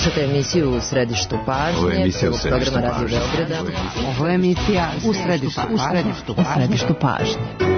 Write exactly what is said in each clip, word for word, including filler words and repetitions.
Slušajte emisiju U središtu pažnje. Ovo je emisija U središtu programa Radio pažnje. Beograda. Ovo je emisija U središtu pažnje. U središtu pažnje.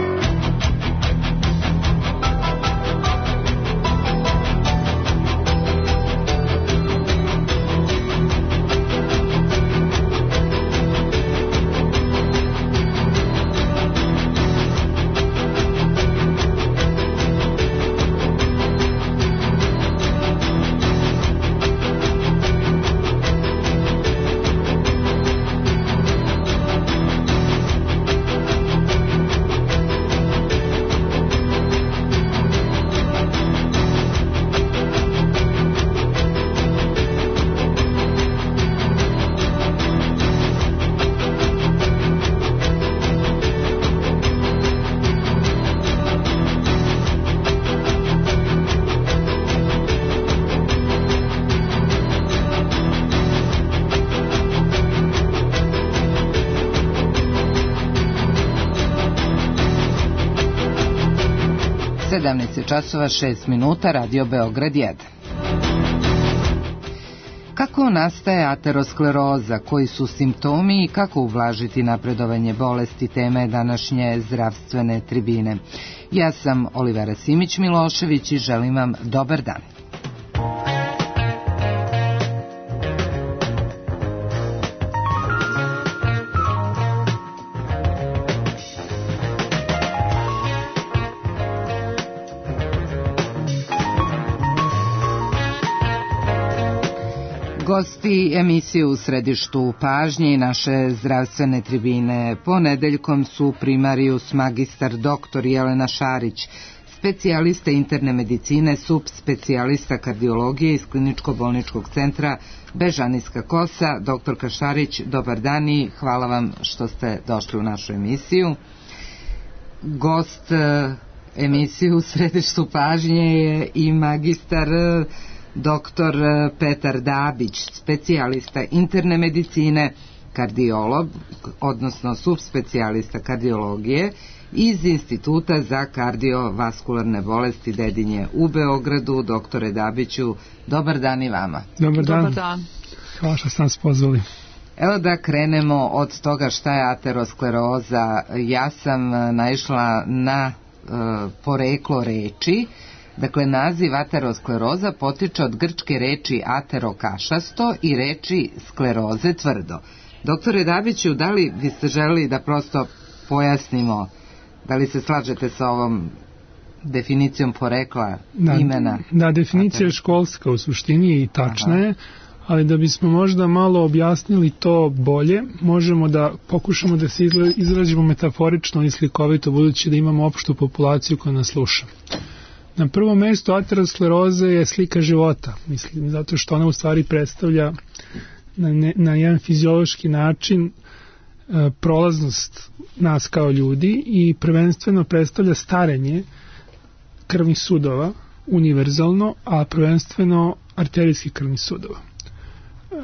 sedamnaest časova šest minuta, Radio Beograd jedan. Kako nastaje ateroskleroza, koji su simptomi i kako ublažiti napredovanje bolesti, tema je današnje zdravstvene tribine. Ja sam Olivera Simić-Milošević i želim vam dobar dan. Gosti emisije U središtu pažnje i naše zdravstvene tribine ponedeljkom su primarius magistar doktor Jelena Šarić, specijalista interne medicine, subspecijalista kardiologije iz kliničko-bolničkog centra Bežanijska Kosa. Doktorka Šarić, dobar dan i hvala vam što ste došli u našu emisiju. Gost emisije U središtu pažnje je i magistar doktor Petar Dabić, specijalista interne medicine, kardiolog, odnosno subspecijalista kardiologije iz Instituta za kardiovaskularne bolesti Dedinje u Beogradu. Doktore Dabiću, dobar dan i vama. Dobar dan. Dobar dan. Hvala što ste nas pozvali. Evo da krenemo od toga šta je ateroskleroza. Ja sam naišla na e, poreklo reči. Dakle, naziv ateroskleroza potiče od grčke reči aterokašasto i reči skleroze tvrdo. Doktore Dabiću, da li biste želeli da prosto pojasnimo, da li se slažete sa ovom definicijom porekla da, imena? Da, definicija je školska u suštini i tačna je, ali da bismo možda malo objasnili to bolje, možemo da pokušamo da se izrazimo metaforično i slikovito, budući da imamo opštu populaciju koja nas sluša. Na prvom mjestu ateroskleroza je slika života, mislim, zato što ona u stvari predstavlja na, ne, na jedan fiziološki način e, prolaznost nas kao ljudi i prvenstveno predstavlja starenje krvnih sudova univerzalno, a prvenstveno arterijskih krvnih sudova. E,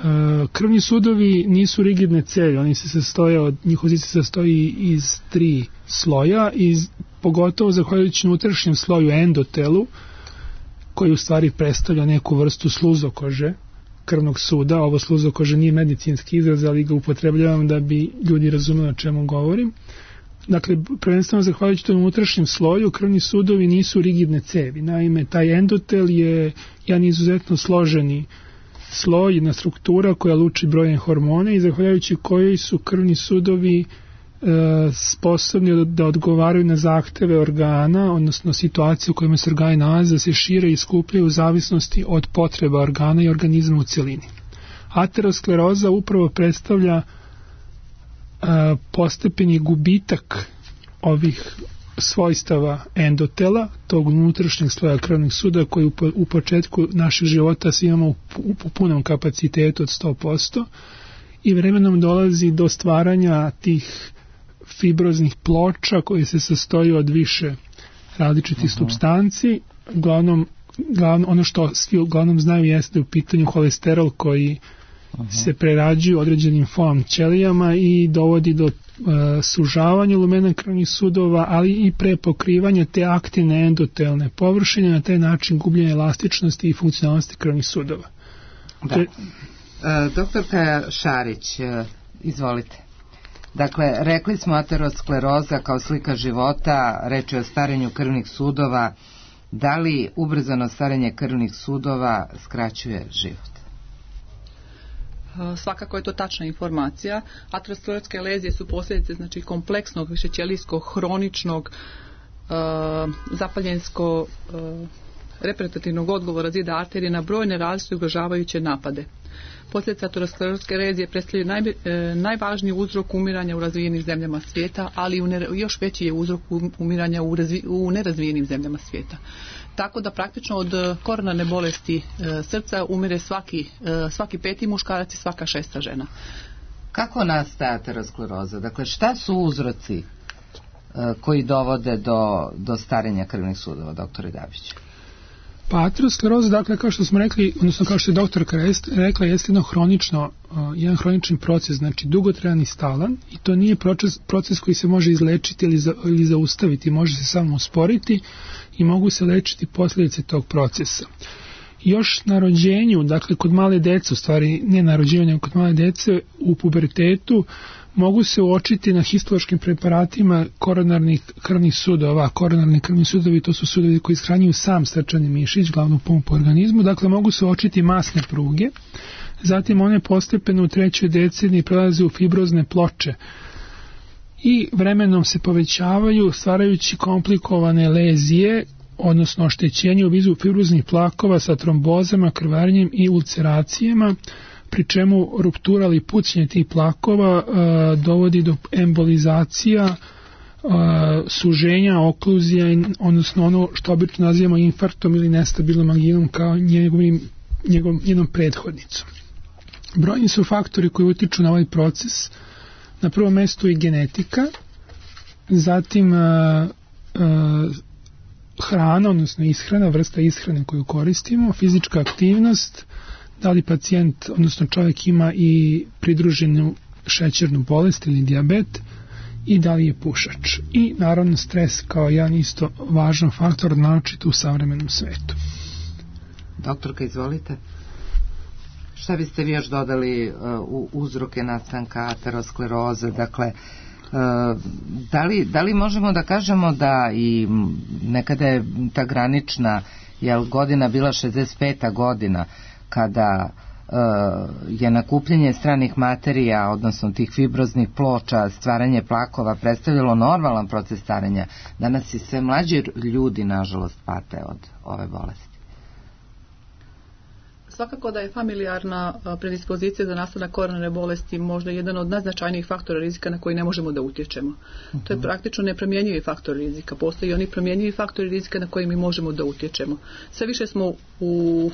krvni sudovi nisu rigidne cevi, oni se sastoje od, njihov zid se sastoji iz tri sloja, iz pogotovo zahvaljujući unutrašnjem sloju endotelu, koji u stvari predstavlja neku vrstu sluzokože krvnog suda. Ovo sluzokože nije medicinski izraz, ali ga upotrebljavam da bi ljudi razumeli o čemu govorim. Dakle, prvenstveno zahvaljujući tom unutrašnjem sloju, krvni sudovi nisu rigidne cevi. Naime, taj endotel je jedan izuzetno složeni sloj, jedna struktura koja luči brojne hormone i zahvaljujući kojoj su krvni sudovi sposobni da odgovaraju na zahteve organa, odnosno situacije u kojima se organi nalaze, da se šire i skupljaju u zavisnosti od potreba organa i organizma u cjelini. Ateroskleroza upravo predstavlja postepeni gubitak ovih svojstava endotela, tog unutrašnjeg sloja krvnih suda koji u, u početku našeg života svi imamo u, u punom kapacitetu od sto posto i vremenom dolazi do stvaranja tih fibroznih ploča koje se sastoji od više različitih uh-huh. supstanci. Uglavnom, glavno, ono što svi uglavnom znaju jeste u pitanju holesterol koji uh-huh. se prerađuju određenim folom ćelijama i dovodi do uh, sužavanja lumena krvnih sudova, ali i prepokrivanja te aktivne endotelne površine, na taj način gubljenje elastičnosti i funkcionalnosti krvnih sudova. Da. E, doktorka Šarić, izvolite. Dakle, rekli smo ateroskleroza kao slika života, reč je o starenju krvnih sudova. Da li ubrzano starenje krvnih sudova skraćuje život? Svakako je to tačna informacija. Aterosklerotske lezije su posljedice znači kompleksnog višećelijskog, hroničnog, uh, zapaljensko uh, repetitivnog odgovora zida arterije na brojne različite ugrožavajuće napade. Posljedice aterosklerotske lezije predstavljaju naj, e, najvažniji uzrok umiranja u razvijenim zemljama svijeta, ali u ne, još veći je uzrok umiranja u, razvi, u nerazvijenim zemljama svijeta. Tako da praktično od koronarne bolesti e, srca umire svaki, e, svaki peti muškarac i svaka šesta žena. Kako nastaje ateroskleroza? Dakle, šta su uzroci e, koji dovode do, do starenja krvnih sudova, doktore Dabić? Pa ateroskleroza, dakle, kao što smo rekli, odnosno kao što je doktorka rekla, jeste jedno hronično, jedan hronični proces, znači dugotrajan i stalan, i to nije proces, proces koji se može izlečiti ili, za, ili zaustaviti, može se samo usporiti i mogu se lečiti posljedice tog procesa. Još na rođenju, dakle kod male dece, u stvari ne na rođenju, nego kod male dece u pubertetu, mogu se uočiti na histološkim preparatima koronarnih krvnih sudova. Koronarni krvni sudovi, to su sudovi koji ishranjuju sam srčani mišić, glavnu pumpu organizmu, dakle mogu se uočiti masne pruge. Zatim one postepeno u trećoj deceniji prelaze u fibrozne ploče i vremenom se povećavaju, stvarajući komplikovane lezije, odnosno oštećenje u vidu fibroznih plakova sa trombozama, krvarenjem i ulceracijama, pri čemu ruptura ili pucnje tih plakova a, dovodi do embolizacija, a, suženja, okluzija, odnosno ono što obično nazivamo infarktom ili nestabilnom anginom kao njegovim, njegovom, njenom prethodnicom. Brojni su faktori koji utiču na ovaj proces. Na prvom mjestu i genetika, zatim a, a, hrana, odnosno ishrana, vrsta ishrane koju koristimo, fizička aktivnost, da li pacijent, odnosno čovjek ima i pridruženu šećernu bolest ili dijabet i da li je pušač. I naravno stres kao jedan isto važan faktor, naročito u savremenom svetu. Doktorka, izvolite. Šta biste vi još dodali uh, u uzroke nastanka ateroskleroze? Dakle, uh, da li, da li možemo da kažemo da i nekada je ta granična jel, godina bila šezdeset peta godina, kada uh, je nakupljanje stranih materija, odnosno tih fibroznih ploča, stvaranje plakova predstavljalo normalan proces starenja. Danas i sve mlađi ljudi, nažalost, pate od ove bolesti. Svakako da je familijarna predispozicija za nastanak koronarne bolesti možda jedan od najznačajnijih faktora rizika na koji ne možemo da utječemo. Uh-huh. To je praktično nepromjenjivi faktor rizika. Postoji oni promjenjivi faktori rizika na koji mi možemo da utječemo. Sve više smo u,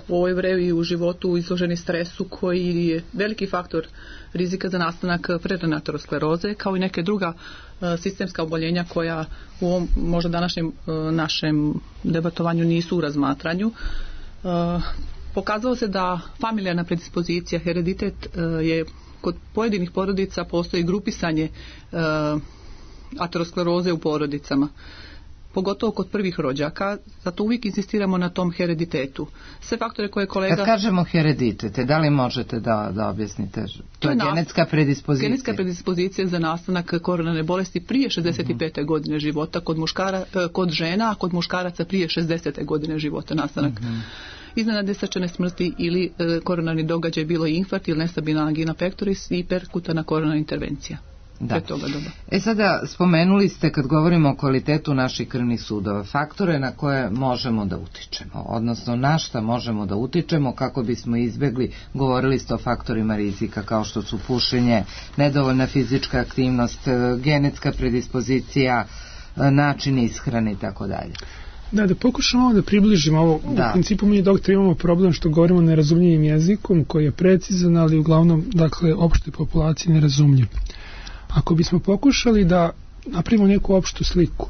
u ovoj vrevi u životu izloženi stresu koji je veliki faktor rizika za nastanak prerane ateroskleroze, kao i neke druga uh, sistemska oboljenja koja u ovom možda današnjem uh, našem debatovanju nisu u razmatranju. Uh, Pokazalo se da familijarna predispozicija, hereditet je kod pojedinih porodica postoji grupisanje uh, ateroskleroze u porodicama, pogotovo kod prvih rođaka, zato uvijek insistiramo na tom hereditetu. Sve faktore koje kolega... Kad kažemo hereditet, da li možete da, da objasnite? To, to je genetska predispozicija. Genetska predispozicija za nastanak koronarne bolesti prije šezdeset pete Uh-huh. godine života kod, muškara, kod žena, a kod muškaraca prije šezdesete godine života nastanak. Uh-huh. Iznenadne srčane smrti ili e, koronarni događaj, bilo je infarkt ili nestabilna angina pectoris i perkutana koronarna intervencija. Da. E sada, spomenuli ste, kad govorimo o kvalitetu naših krvnih sudova, faktore na koje možemo da utičemo, odnosno na šta možemo da utičemo kako bismo izbjegli, govorili ste o faktorima rizika kao što su pušenje, nedovoljna fizička aktivnost, genetska predispozicija, način ishrane i tako dalje. Da, da pokušamo da približimo ovo. Da. U principu mi, doktor, imamo problem što govorimo nerazumljivim jezikom koji je precizan, ali uglavnom, dakle, opštoj populaciji nerazumljiv. Ako bismo pokušali da napravimo neku opštu sliku,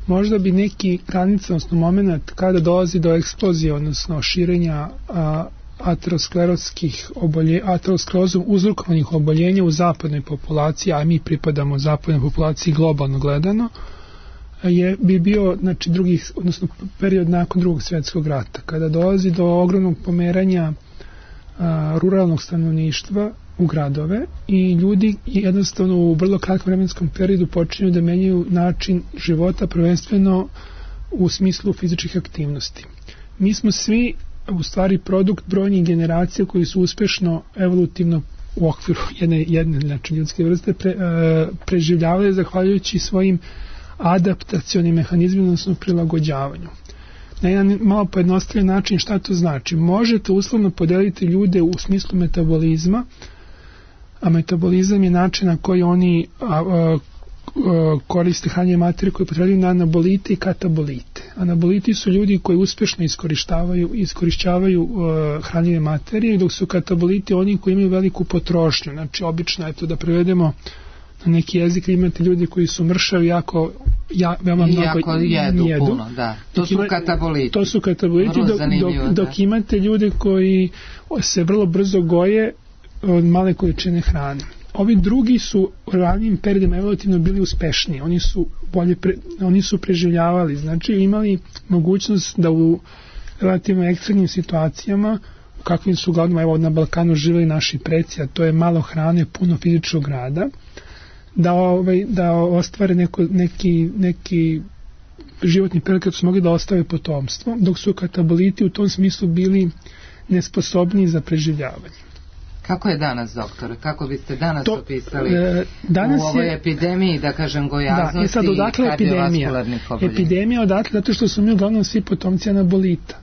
možda bi neki granica, odnosno moment kada dolazi do eksplozije, odnosno širenja a, aterosklerotskih obolje, aterosklerozom uzrokovanih oboljenja u zapadnoj populaciji, a mi pripadamo zapadnoj populaciji globalno gledano, je bi bio, znači, drugi, odnosno period nakon drugog svjetskog rata, kada dolazi do ogromnog pomeranja a, ruralnog stanovništva u gradove i ljudi jednostavno u vrlo kratkom vremenskom periodu počinju da menjaju način života, prvenstveno u smislu fizičkih aktivnosti. Mi smo svi u stvari produkt brojnih generacija koji su uspešno evolutivno u okviru jedne, jedne znači ljudske vrste pre, e, preživljavali zahvaljujući svojim adaptacionim mehanizmima, odnosno prilagođavanju. Na jedan malo pojednostavljen način šta to znači? Možete uslovno podeliti ljude u smislu metabolizma, a metabolizam je način na koji oni a, a, a, koriste hranjive materije koje potrebuju na anabolite i katabolite. Anaboliti su ljudi koji uspešno iskorištavaju, iskorišćavaju uh, hranjive materije, dok su kataboliti oni koji imaju veliku potrošnju. Znači, obično je to da prevedemo na neki jezik, imate ljudi koji su mršavi jako, ja, veoma mnogo jako jedu, jedu. Puno, da. To su ima, kataboliti. To su kataboliti, dok, dok, dok imate ljude koji se vrlo brzo goje od male količine hrane. Ovi drugi su u ranijim periodima evolutivno bili uspešniji, oni su bolje pre, oni su preživljavali, znači imali mogućnost da u relativno ekstremnim situacijama, kakvim su uglavnom evo na Balkanu živeli naši preci, a to je malo hrane, puno fizičkog rada, da ovaj da ostvare neko, neki neki životni period kad su mogli da ostave potomstvo, dok su kataboliti u tom smislu bili nesposobni za preživljavanje. Kako je danas, doktore? Kako biste danas to, opisali e, danas u ovoj je, epidemiji, da kažem, gojaznosti da, i sad odakle i kardiovaskularnih oboljenja? Epidemija odakle, zato što su mi uglavnom svi potomci anabolita.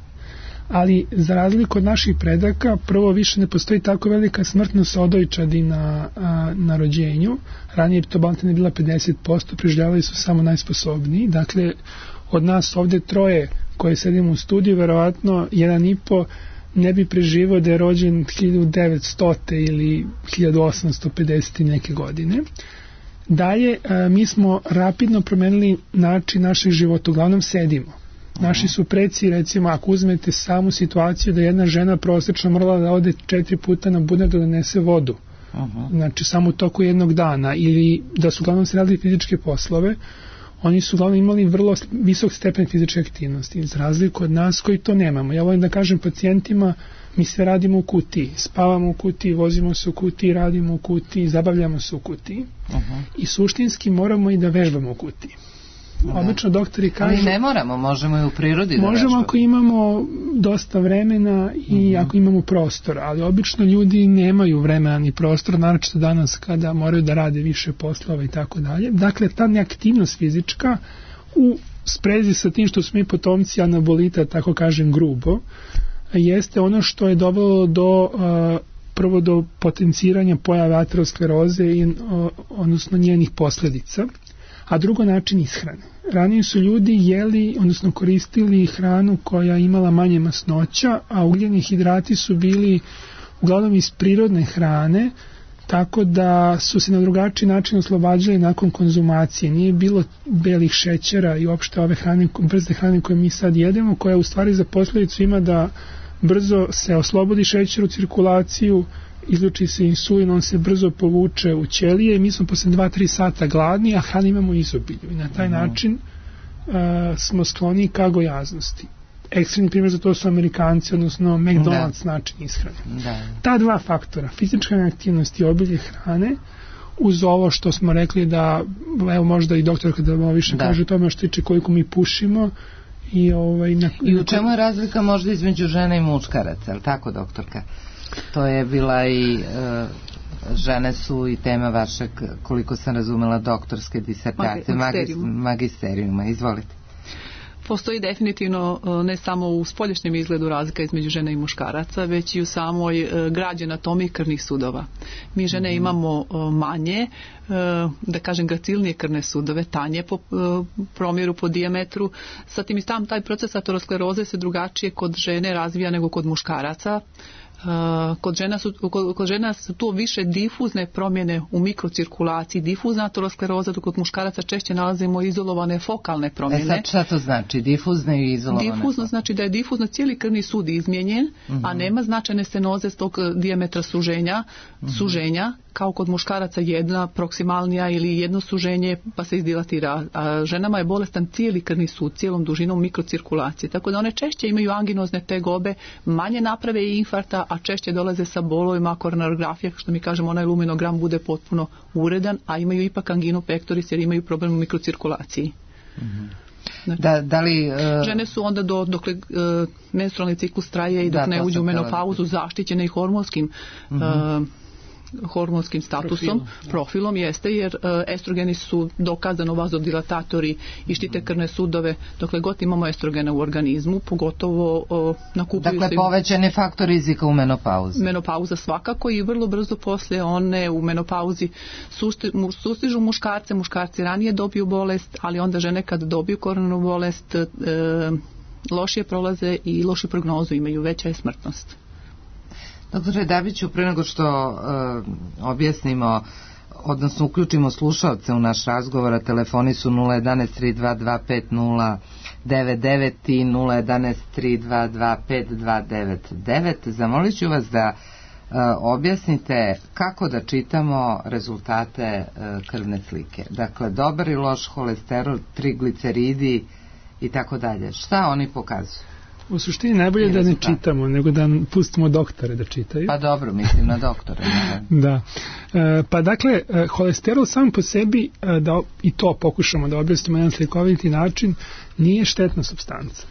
Ali za razliku od naših predaka, prvo više ne postoji tako velika smrtnost odojčadi na, a, na rođenju. Ranije to balantane bila pedeset posto, preživljavali su samo najsposobniji. Dakle, od nas ovde troje koje sedimo u studiju, verovatno jedan i po ne bi preživao da je rođen hiljadu devetsto ili hiljadu osamsto pedeset neke godine. Dalje, a, mi smo rapidno promenili način našeg života, uglavnom sedimo. Naši su preci, recimo, ako uzmete samu situaciju da jedna žena prosečno morala da ode četiri puta na bunar da donese vodu, Aha. znači samo u toku jednog dana, ili da su uglavnom se radili fizičke poslove, oni su uglavnom imali vrlo visok stepen fizičke aktivnosti, za razliku od nas koji to nemamo. Ja volim da kažem pacijentima, mi sve radimo u kutiji, spavamo u kutiji, vozimo se u kutiji, radimo u kutiji, zabavljamo se u kutiji Aha. i suštinski moramo i da vežbamo u kutiji. Da. Obično doktori kažu... Ali ne moramo, možemo i u prirodi da možemo vežbamo. Ako imamo dosta vremena i uh-huh. ako imamo prostora, ali obično ljudi nemaju vremena ni prostora, naročito danas kada moraju da rade više poslova i tako dalje. Dakle, ta neaktivnost fizička u sprezi sa tim što smo mi potomci anabolita, tako kažem grubo, jeste ono što je dovelo do... Uh, prvo do potenciranja pojave ateroskleroze i uh, odnosno njenih posljedica, a drugo način ishrane. Ranije su ljudi jeli, odnosno koristili hranu koja imala manje masnoća, a ugljeni hidrati su bili uglavnom iz prirodne hrane, tako da su se na drugačiji način oslobađali nakon konzumacije. Nije bilo belih šećera i uopšte ove hrane, brze hrane koje mi sad jedemo, koja u stvari za posljedicu ima da brzo se oslobodi šećer u cirkulaciju, izluči se insulin, on se brzo povuče u ćelije i mi smo posle dva do tri sata gladni, a hranu imamo izobilju. I na taj način uh, smo skloni ka gojaznosti. Ekstremni primjer za to su Amerikanci, odnosno McDonald's da. način ishrane. Da. Ta dva faktora, fizička aktivnost i obilje hrane, uz ovo što smo rekli da, evo možda i doktor kada malo više da. kaže o tome što tiče koliko mi pušimo, I, ovaj, na, I u čemu je razlika možda između žene i muškaraca, je li tako, doktorka? To je bila i e, žene su i tema vašeg, koliko sam razumela, doktorske disertacije, magisterijuma. magisterijuma. Izvolite. Postoji definitivno ne samo u spoljašnjem izgledu razlika između žena i muškaraca, već i u samoj građi anatomiji krvnih sudova. Mi žene mm-hmm. imamo manje, da kažem, gracilnije krvne sudove, tanje po promjeru, po dijametru. Sa tim i tam taj proces ateroskleroze se drugačije kod žene razvija nego kod muškaraca. Uh, kod, žena su, kod, kod žena su tu više difuzne promjene u mikrocirkulaciji, difuzna ateroskleroza, dok kod muškaraca češće nalazimo izolovane fokalne promjene. E sad šta to znači? Difuzne i izolovane? Difuzno znači da je difuzno cijeli krvni sud izmijenjen, uh-huh. a nema značajne stenoze s tog dijametra suženja, uh-huh. suženja kao kod muškaraca jedna proksimalnija ili jedno suženje pa se izdilatira. A ženama je bolestan cijeli krvni sud, cijelom dužinom mikrocirkulacije. Tako da one češće imaju anginozne tegobe, manje naprave i infarta, a češće dolaze sa bolovima, koronarografija, što mi kažemo onaj luminogram bude potpuno uredan, a imaju ipak anginu pectoris jer imaju problem u mikrocirkulaciji. Mm-hmm. Znači, da, da li, uh, žene su onda do, dokle uh, menstrualni ciklus traje i dok da, ne uđu u menopauzu zaštićene i hormonskim mm-hmm. uh, hormonskim statusom, profilom, profilom jeste, jer uh, estrogeni su dokazano vazodilatatori i štite krvne sudove dokle god imamo estrogena u organizmu, pogotovo uh, nakupuju dakle, se... Dakle, povećan je faktor rizika u menopauzi. Menopauza svakako i vrlo brzo poslije one u menopauzi susti, mu, sustižu muškarce, muškarci ranije dobiju bolest, ali onda žene kad dobiju koronarnu bolest uh, lošije prolaze i lošu prognozu imaju, veća je smrtnost. Doktore Dabiću, pre nego što uh, objasnimo, odnosno uključimo slušalce u naš razgovor, a telefoni su nula jedanaest tri dva dva pet nula devet devet i nula jedanaest tri dva dva pet dva devet devet. Zamolit ću vas da uh, objasnite kako da čitamo rezultate uh, krvne slike. Dakle, dobar i loš holesterol, trigliceridi i tako dalje. Šta oni pokazuju? U suštini najbolje da ne čitamo, nego da pustimo doktore da čitaju. Pa dobro, mislim na doktore. Da. E, pa dakle, holesterol sam po sebi, da i to pokušamo da objasnimo na jedan slikoviti način, nije štetna supstanca.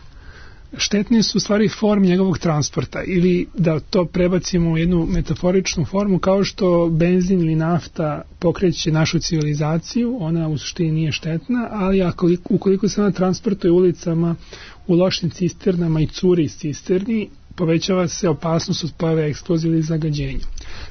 Štetne su u stvari forme njegovog transporta, ili da to prebacimo u jednu metaforičnu formu, kao što benzin ili nafta pokreće našu civilizaciju, ona u suštini nije štetna, ali ako, ukoliko se ona transportuje ulicama, u lošim cisternama i curi iz cisterni, povećava se opasnost od pojave eksplozije ili zagađenja.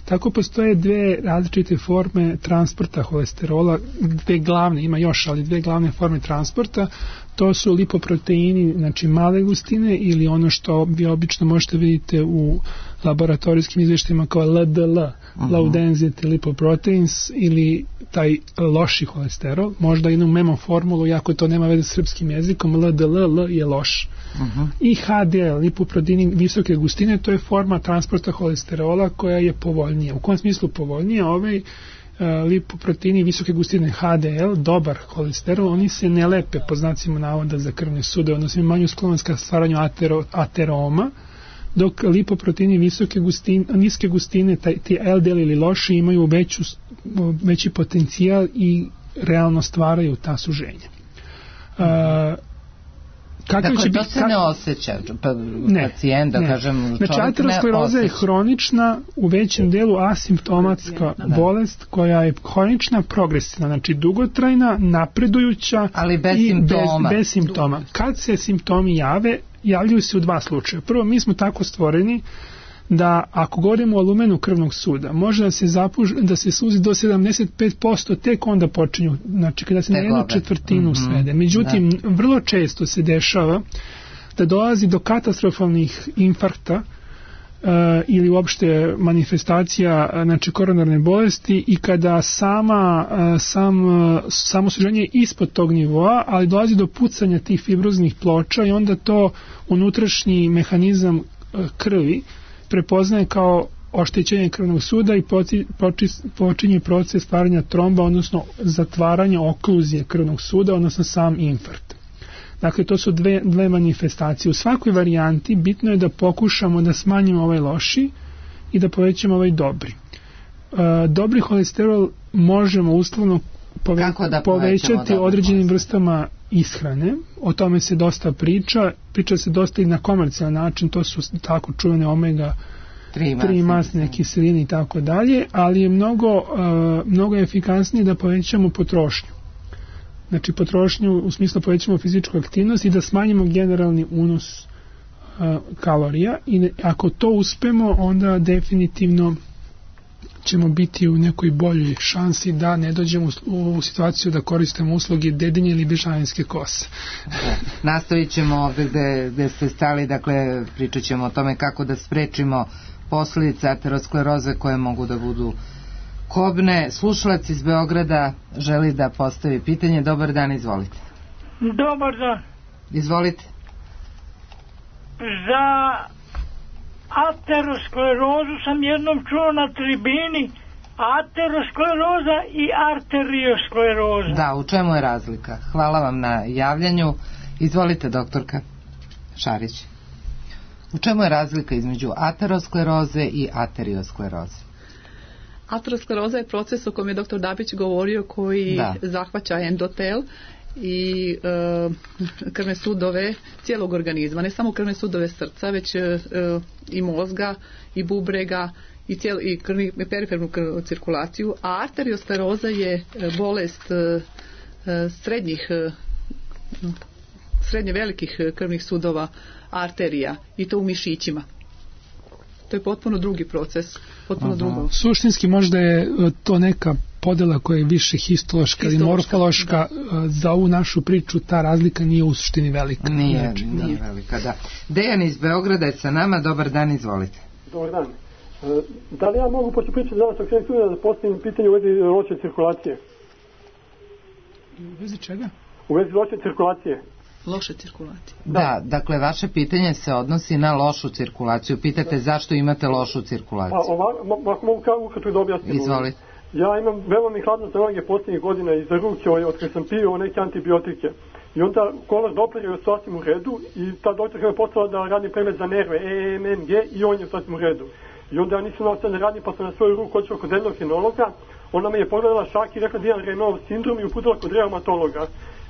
Tako postoje dve različite forme transporta holesterola, dve glavne, ima još, ali dve glavne forme transporta. To su lipoproteini, znači male gustine, ili ono što vi obično možete vidjeti u laboratorijskim izvještajima kao L D L, uh-huh. low density lipoproteins, ili taj loši holesterol. Možda jednu memo formulu, jako to nema veze s srpskim jezikom, L D L, L je loš. Uh-huh. I H D L, lipoproteini visoke gustine, to je forma transporta holesterola koja je povoljnija. U kom smislu povoljnija? Ovaj lipoproteini visoke gustine H D L, dobar holesterol, oni se ne lepe po znacima navoda za krvne sudove, odnosno manju sklonost ka stvaranju atero, ateroma, dok lipoproteini visoke gustine, niske gustine, taj, ti L D L ili loši, imaju veću, veći potencijal i realno stvaraju ta suženja. Uh, Dakle, će to biti, se ne osjeća pa, ne, pacijent, da ne. kažem, čovjek znači, ateroskleroza je hronična, u većem delu asimptomatska da. bolest koja je hronična, progresivna, znači dugotrajna, napredujuća, ali bez i simptoma. Bez, bez simptoma. Kad se simptomi jave, javljaju se u dva slučaja. Prvo, mi smo tako stvoreni da ako govorimo o lumenu krvnog suda, može da se zapuž, da se suzi do sedamdeset pet posto, tek onda počinju, znači kada se na jednu četvrtinu mm-hmm. svede. Međutim, da. vrlo često se dešava da dolazi do katastrofalnih infarkta uh, ili uopšte manifestacija, znači koronarne bolesti, i kada sama, uh, sam, uh, samo suženje je ispod tog nivoa, ali dolazi do pucanja tih fibroznih ploča i onda to unutrašnji mehanizam uh, krvi prepoznaje kao oštećenje krvnog suda i počinje proces stvaranja tromba, odnosno zatvaranja okluzije krvnog suda, odnosno sam infarkt. Dakle, to su dve, dve manifestacije. U svakoj varijanti bitno je da pokušamo da smanjimo ovaj loši i da povećamo ovaj dobri. E, dobri holesterol možemo uslovno pove, da povećati određenim vrstama ishrane. O tome se dosta priča. Priča se dosta i na komercijalan način, to su tako čuvene omega tri masne kiseline i tako dalje, ali je mnogo, uh, mnogo efikasnije da povećamo potrošnju. Znači potrošnju u smislu povećamo fizičku aktivnost i da smanjimo generalni unos uh, kalorija, i ne, ako to uspemo, onda definitivno ćemo biti u nekoj boljoj šansi da ne dođemo u, u situaciju da koristimo usluge dedinje ili bežanijske kose. Nastavit ćemo ovdje gde, gde ste stali, dakle pričat ćemo o tome kako da sprečimo posljedice ateroskleroze koje mogu da budu kobne. Slušalac iz Beograda želi da postavi pitanje. Dobar dan, izvolite. Dobar dan. Izvolite. Za aterosklerozu sam jednom čuo na tribini, ateroskleroza i arterioskleroza. Da, u čemu je razlika? Hvala vam na javljanju. Izvolite, doktorka Šarić. U čemu je razlika između ateroskleroze i arterioskleroze? Ateroskleroza je proces o kojem je doktor Dabić govorio, koji da. zahvaća endotel i e, krvne sudove cijelog organizma, ne samo krvne sudove srca, već e, i mozga i bubrega i, cijel, i, krvni, i perifernu krvnu cirkulaciju, a arterioskleroza je bolest e, srednjih e, srednje velikih krvnih sudova arterija i to u mišićima. To je potpuno drugi proces, potpuno drugo. Suštinski možda je to neka podela koja je više histološka ili morfološka. Da. Za ovu našu priču ta razlika nije u suštini velika. Nije, znači, nije da. velika, da. Dejan iz Beograda je sa nama, dobar dan, izvolite. Dobar dan. Da li ja mogu pošto pričati danas o krenu sudova da postavim pitanje u vezi loše cirkulacije? U vezi čega? U vezi loše cirkulacije. Loše cirkulacije. Da, da, dakle, vaše pitanje se odnosi na lošu cirkulaciju. Pitate da. zašto imate lošu cirkulaciju. Pa, ovako mogu kao ukratko da objasnim. Izvolite. Ja imam veoma mi hladno zdravlje posljednjih godina i za ruke od kada sam pio neke antibiotike. I onda kolor Doppler je sasvim u redu i ta doktorka me poslala da radim pregled za nerve E M M G i on je sasvim u redu. I onda ja nisam znao šta ne radim, pa sam na svoju ruku otišao kod endokrinologa. Ona me je pogledala šak i rekla da imam Raynaudov sindrom i uputila kod reumatologa.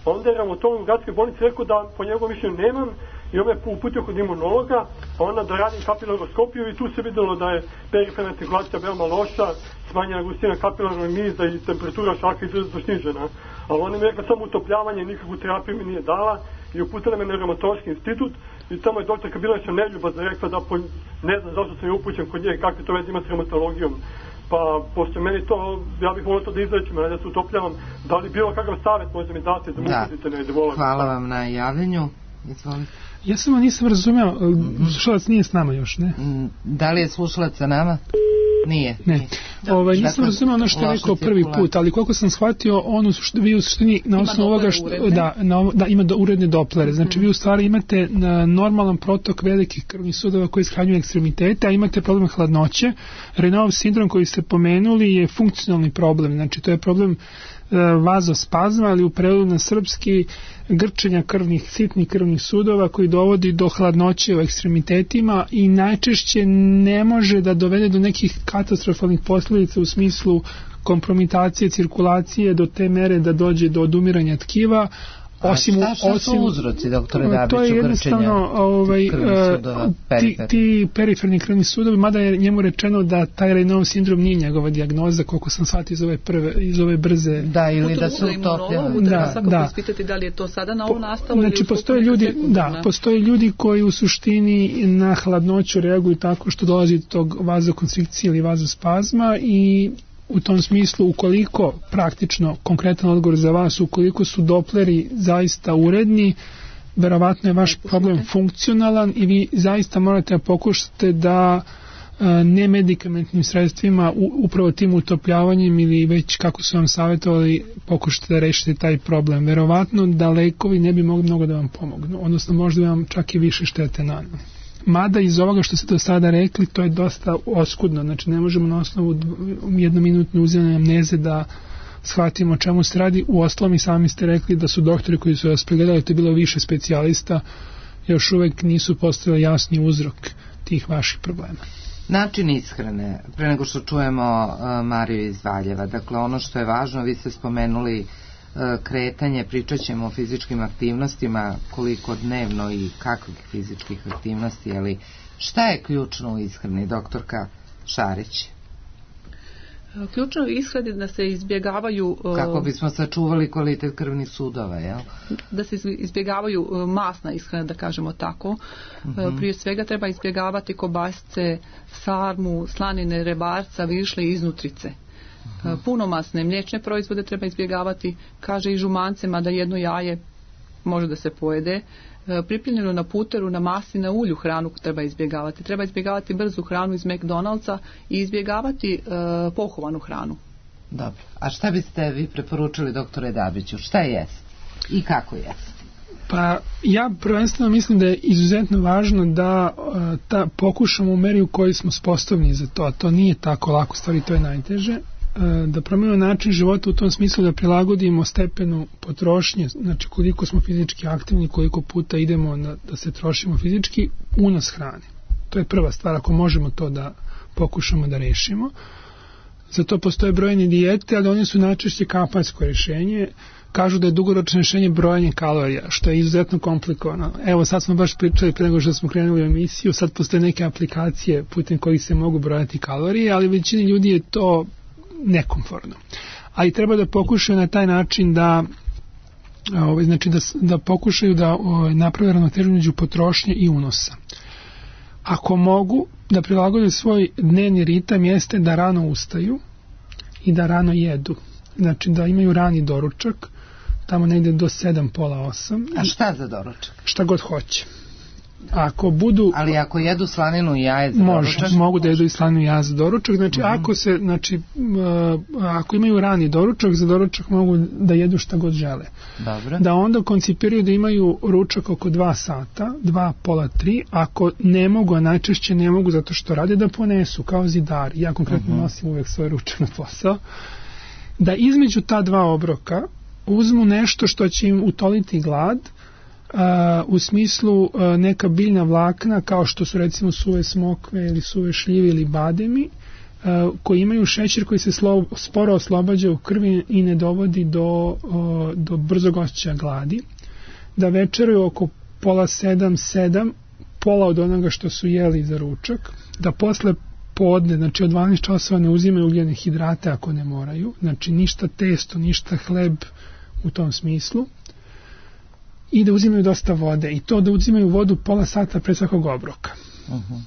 Onda je reumatolog u gradskoj bolnici rekao da po njegovom mišljenju nemam i on me uputio kod imunologa, a onda da radim kapilaroskopiju i tu se vidjelo da je periferna cirkulacija veoma loša, smanjena gustina kapilarnog miza i temperatura šaka izuzetno snižena. Ali on mi je rekao samo utopljavanje, nikakvu terapiju mi nije dala i uputila me na reumatološki institut i tamo je doktorka bila još neljubazna rekla da po, ne znam zašto sam je upućen kod nje, kakve to veze ima s reumatologijom. Pa, pošto meni to, ja bih volio to da izrečim, da se utopljavam, da li bilo kakav savjet može mi dati da mu uputite negdje volim. Hvala vam na javljanju. Izvolite. Ja samo nisam razumeo, slušalac nije s nama još, ne? Da li je slušalac sa nama? Nije. Ne. Da. Ovaj, nisam dakle, razumeo ono što je rekao prvi put, ali koliko sam shvatio, on u suštini, vi u suštini na osnovu ovoga što, da, na, da, ima do, uredne doplere. Znači, mm. vi u stvari imate na normalan protok velikih krvnih sudova koji ishranjuju ekstremitete, a imate problem hladnoće. Raynaudov sindrom koji ste pomenuli je funkcionalni problem. Znači, to je problem vazospazma, ali u prevodu na srpski grčenja krvnih, sitnih krvnih sudova koji dovodi do hladnoće u ekstremitetima i najčešće ne može da dovede do nekih katastrofalnih posljedica u smislu kompromitacije cirkulacije do te mere da dođe do odumiranja tkiva. Osim, šta, šta osim, su uzroci, doktore Dabiću, to je jednostavno ovaj, sudova, ti, ti periferni krvni sudovi, mada je njemu rečeno da taj Raynaudov sindrom nije njegova dijagnoza, koliko sam shvatio iz ove prve, iz ove brze. Da, ili da su utopljeni. Da, svakako da. Ispitati da li je to sada na ovu nastavu. Znači, postoje ljudi, da, postoje ljudi koji u suštini na hladnoću reaguju tako što dolazi do tog vazokonstrikcije ili vazospazma i u tom smislu, ukoliko praktično, konkretan odgovor za vas, ukoliko su dopleri zaista uredni, verovatno je vaš problem funkcionalan i vi zaista morate da pokušate da nemedikamentnim sredstvima, upravo tim utopljavanjem ili već kako su vam savjetovali, pokušate da rešite taj problem. Verovatno da lekovi ne bi mogli mnogo da vam pomognu, odnosno možda bi vam čak i više štete naneli. Mada iz ovoga što ste do sada rekli, to je dosta oskudno, znači ne možemo na osnovu jednominutne uzimane amneze da shvatimo o čemu se radi. U ostalom i sami ste rekli da su doktori koji su vas pregledali, to je bilo više specijalista, još uvek nisu postavili jasni uzrok tih vaših problema. Način ishrane, pre nego što čujemo uh, Mariju iz Valjeva, dakle ono što je važno, vi ste spomenuli kretanje, pričat ćemo o fizičkim aktivnostima, koliko dnevno i kakvih fizičkih aktivnosti, ali šta je ključno u ishrani, doktorka Šarić? Ključno u ishrani da se izbjegavaju... Kako bismo sačuvali kvalitet krvnih sudova, jel? Da se izbjegavaju masna ishrana, da kažemo tako. Uh-huh. Prije svega treba izbjegavati kobasice, sarmu, slanine, rebarca, višle i iznutrice. Uh-huh. Punomasne mliječne proizvode treba izbjegavati, kaže i žumancema da jedno jaje može da se pojede. Pripremljeno na puteru, na masi, na ulju hranu treba izbjegavati. Treba izbjegavati brzu hranu iz McDonald'sa i izbjegavati uh, pohovanu hranu. Dobro. A šta biste vi preporučili, doktore Dabiću? Šta jest i kako jest? Pa ja prvenstveno mislim da je izuzetno važno da uh, ta, pokušamo u meri u kojoj smo sposobni za to, a to nije tako lako, stvari to je najteže. da promijenimo način života u tom smislu da prilagodimo stepenu potrošnje, znači koliko smo fizički aktivni, koliko puta idemo na, da se trošimo fizički, unos hrane. To je prva stvar, ako možemo to da pokušamo da rešimo. Za to postoje brojne dijete, ali one su najčešće kampajsko rješenje. Kažu da je dugoročno rješenje brojanje kalorija, što je izuzetno komplikovano. Evo, sad smo baš pričali pre nego što smo krenuli u emisiju, sad postoje neke aplikacije putem kojih se mogu brojati kalorije, ali većini ljudi je to nekomfortno. Ali treba da pokušaju na taj način da ovaj, znači da, da pokušaju da ovaj, naprave ravnotežu među potrošnje i unosa. Ako mogu da prilagode svoj dnevni ritam, jeste da rano ustaju i da rano jedu. Znači da imaju rani doručak, tamo negde do sedam, pola osam. A šta za doručak? Šta god hoće. Ako budu... Ali ako jedu slaninu i jaje za može, doručak? Mogu da jedu i slaninu i jaje za doručak. Znači, uh-huh. ako se, znači, uh, ako imaju rani doručak, za doručak mogu da jedu šta god žele. Dobro. Da onda koncipiraju da imaju ručak oko dva sata, dva, pola, tri. Ako ne mogu, a najčešće ne mogu zato što rade, da ponesu, kao zidari. Ja konkretno uh-huh. nosim uvek svoj ručak na posao. Da između ta dva obroka uzmu nešto što će im utoliti glad, uh, u smislu uh, neka biljna vlakna kao što su recimo suve smokve ili suve šljive ili bademi, uh, koji imaju šećer koji se slo, sporo oslobađa u krvi i ne dovodi do, uh, do brzog osjećaja gladi. Da večeraju oko pola sedam, sedam, pola od onoga što su jeli za ručak. Da posle podne, znači od dvanaest časova ne uzimaju ugljene hidrate ako ne moraju, znači ništa testo, ništa hleb u tom smislu, i da uzimaju dosta vode, i to da uzimaju vodu pola sata pre svakog obroka. Uh-huh.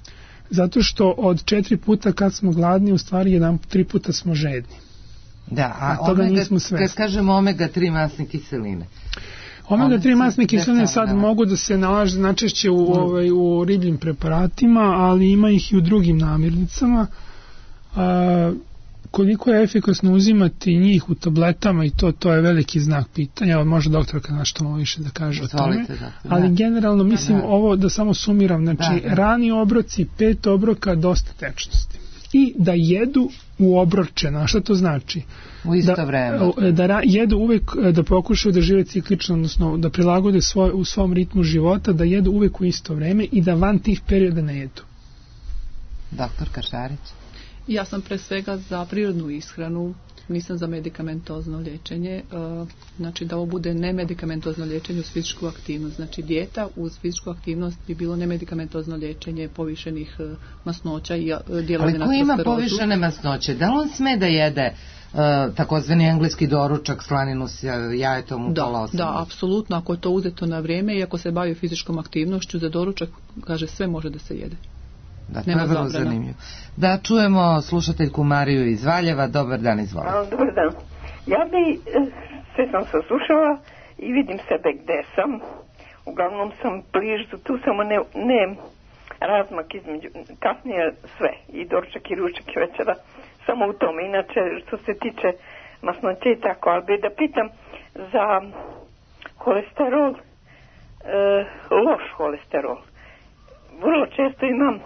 Zato što od četiri puta kad smo gladni, u stvari jedan, tri puta smo žedni. Da, a, a toga omega, nismo svesni. Kad kažemo omega tri masne kiseline, omega tri masne kiseline sad da mogu da se nalaze najčešće u, mm. ovaj, u ribljim preparatima, ali ima ih i u drugim namirnicama. A, koliko je efikasno uzimati njih u tabletama i to, to je veliki znak pitanja. Evo, može doktorka nešto malo više da kaže Zvolite, o tome. Da, ali da. Generalno mislim da, da. ovo da samo sumiram. Znači da, da. Rani obroci, pet obroka, dosta tečnosti. I da jedu u obročena. Šta to znači? U isto da, vreme. Da, da jedu uvek, da pokušaju da žive ciklično, odnosno da prilagode svoj, u svom ritmu života, da jedu uvek u isto vreme i da van tih perioda ne jedu. Doktor Kašarić? Ja sam pre svega za prirodnu ishranu, nisam za medikamentozno liječenje, znači da ovo bude nemedikamentozno liječenje uz fizičku aktivnost. Znači dijeta uz fizičku aktivnost bi bilo nemedikamentozno liječenje povišenih masnoća i djelovanja na sklerozu. Ali ko ima povišene masnoće? Da li on sme da jede uh, takozvani engleski doručak, slaninu s jajetom u pola osam? Da, apsolutno, ako je to uzeto na vrijeme i ako se bavi fizičkom aktivnošću, za doručak, kaže, sve može da se jede. Da, to je vrlo zanimljivo. Da čujemo slušateljku Mariju iz Valjeva. Dobar dan, izvolite. Dobar dan. Ja bi, sve sam saslušala i vidim sebe gde sam. Uglavnom sam bližu, tu samo ne, ne razmak između, kasnije sve, i doručak i ručak i večera, samo u tome. Inače, što se tiče masnoće i tako, ali bi da pitam za kolesterol, e, loš kolesterol. Vrlo često imam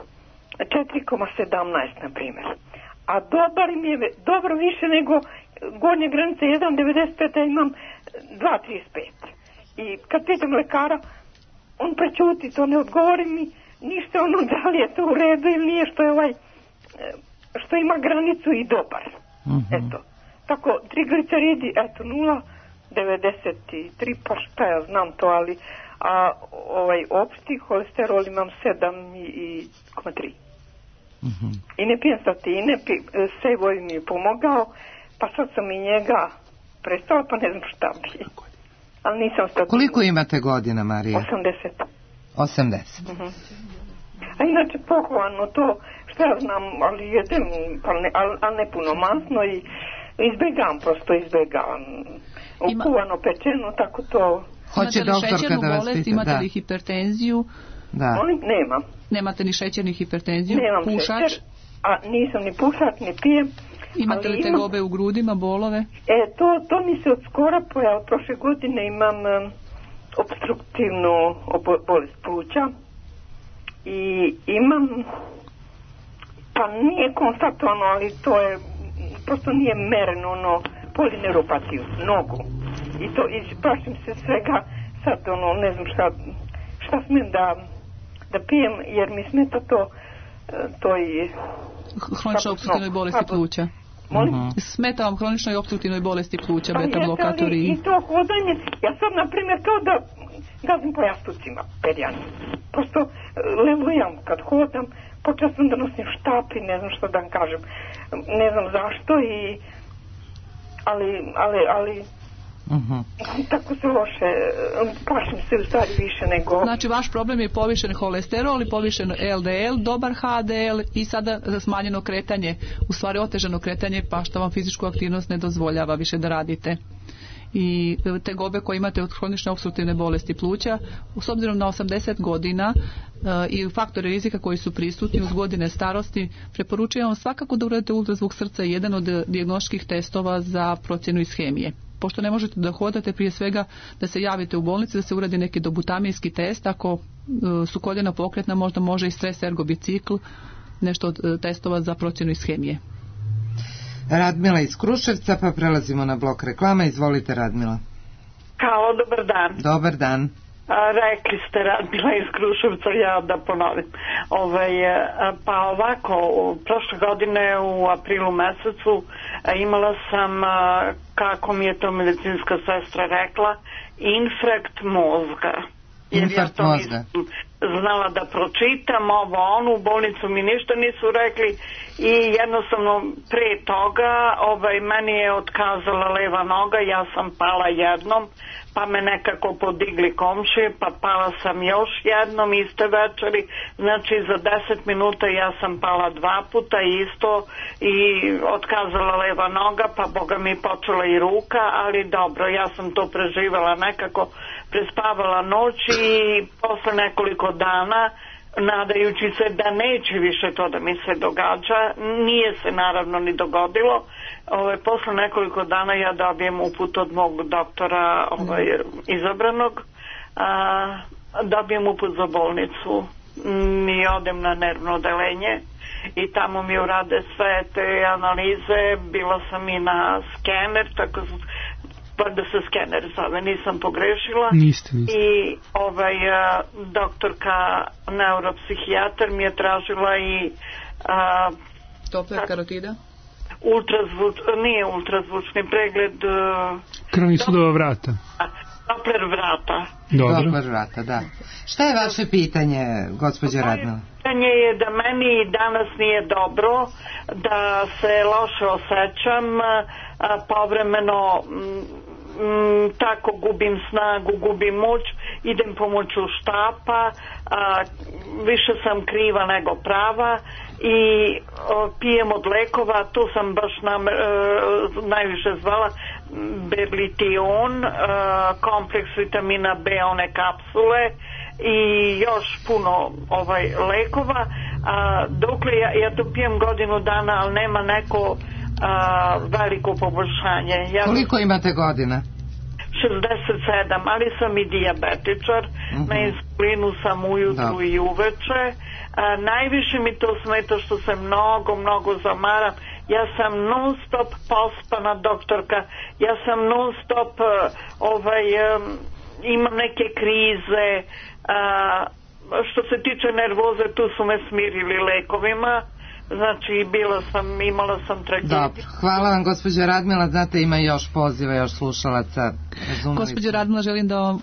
četiri zarez sedamnaest na primjer. A dobar mi je, dobro više nego gornja granica jedan zarez devedeset pet, ja imam dva zarez trideset pet. I kad pitam lekara, on prećuti, to ne odgovori mi ništa, ono da li je to u redu ili nije, što je ovaj, što ima granicu i dobar. Uh-huh. Eto. Tako, trigliceridi, eto, nula zarez devedeset tri, pa šta ja znam to, ali a ovaj opšti kolesterol imam sedam zarez tri. Uh-huh. I ne pijem statine, Sejvoj mi je pomogao, pa sad sam i njega prestala, pa ne znam šta bi. Ali nisam statine. Koliko imate godina, Marija? osamdeset. osamdeset. Uh-huh. A inače pohvalno to, što ja znam, ali jedem, ali ne, ali, ali ne puno masno i izbjegavam, prosto izbjegavam. Ukuvano, pečeno, tako to... Hoće doktorka da vas bolest, pita, imate da. li hipertenziju? Da. Nemam. Nemate ni šećer ni hipertenziju? Nemam pušač? Šećer, a nisam ni pušač, ni pijem. Imate li tegobe u grudima, bolove? E, to, to mi se od skora pojavilo. Prošle godine imam um, obstruktivnu obo- bolest pluća i imam, pa nije konstatovano, ali to je prosto nije mereno, ono, polineuropatiju, nogu. I to, i plašim se svega, sad, ono, ne znam šta, šta smijem da, da pijem, jer mi smeta to, to i... Hroničnoj opstruktivnoj bolesti pluća. Molim? Mhm. Smeta vam hroničnoj opstruktivnoj bolesti pluća, Pa beta jeste, blokatori. ali i to hodanje, ja sad, na primjer, to da gazim po jastucima, perjani. Prosto e, lelujam kad hodam, počeo sam da nosim štap i ne znam što da vam kažem. Ne znam zašto i... Ali, ali, ali... Mhm. Tako se loše, plašim se u stvari više nego... Znači, vaš problem je povišen holesterol i povišen el de el, dobar ha de el i sada smanjeno kretanje, u stvari otežano kretanje, pa što vam fizičku aktivnost ne dozvoljava više da radite. I tegobe koje imate od hronične opstruktivne bolesti pluća, s obzirom na osamdeset godina e, i faktore rizika koji su prisutni uz godine starosti, preporučujem vam svakako da uradite ultrazvuk srca, jedan od dijagnostičkih testova za procjenu ishemije. Pošto ne možete da hodate, prije svega da se javite u bolnici, da se uradi neki dobutamijski test. Ako e, su koljena pokretna, možda može i stres ergobicikl, nešto od e, testova za procjenu ishemije. Radmila iz Kruševca, pa prelazimo na blok reklama. Izvolite, Radmila. Halo, dobar dan. Dobar dan. A, rekli ste Radmila iz Kruševca, ja da ponovim. Ovaj, pa ovako, prošle godine u aprilu mesecu imala sam, kako mi je to medicinska sestra rekla, infarkt mozga. Jer Infarkt ja to mozga. znala da pročitam ovo, ono, u bolnicu mi ništa nisu rekli i jednostavno pre toga ovaj, meni je otkazala leva noga, ja sam pala jednom, pa me nekako podigli komšije, pa pala sam još jednom iste večeri, znači za deset minuta ja sam pala dva puta isto i otkazala leva noga, pa boga mi počela i ruka, ali dobro, ja sam to preživjela nekako, prespavala noć i posle nekoliko dana, nadajući se da neće više to da mi se događa, nije se naravno ni dogodilo. Ovaj, posle nekoliko dana ja dobijem uput od mog doktora ovaj, izabranog, a, dobijem uput za bolnicu i odem na nervno odelenje i tamo mi urade sve te analize, bila sam i na skener, tako pa da se skener zove, nisam pogrešila. Niste, niste. I ovaj, a, doktorka neuropsihijatar mi je tražila i a, Doppler karotida? ultrazvuč, nije ultrazvučni pregled, Krvnih sudova vrata. Doppler vrata. Dobro. Doppler vrata, da. Šta je vaše pitanje, gospođa Radmila? Pitanje je da meni danas nije dobro, da se loše osjećam, a, povremeno m, tako gubim snagu, gubim moć, idem pomoću štapa, a, više sam kriva nego prava i o, pijem od lekova, tu sam baš nam, e, najviše zvala Berlition, e, kompleks vitamina B, one kapsule i još puno ovaj lekova, a, dokle ja, ja to pijem godinu dana, ali nema neko a, veliko poboljšanje. Ja Koliko imate godina? šezdeset sedam, ali sam i dijabetičar, uh-huh. Na insulinu sam ujutru da. I uveče. A, najviše mi to smeta što se mnogo, mnogo zamaram. Ja sam non stop pospana, doktorka, ja sam non stop uh, ovaj, um, imam neke krize, uh, što se tiče nervoze, tu su me smirili lekovima. Znači, bila sam, imala sam tragediju. Dobro, hvala vam, gospođa Radmila. Znate, ima još poziva, još slušalaca. Gospođo Radmila, želim da vam uh,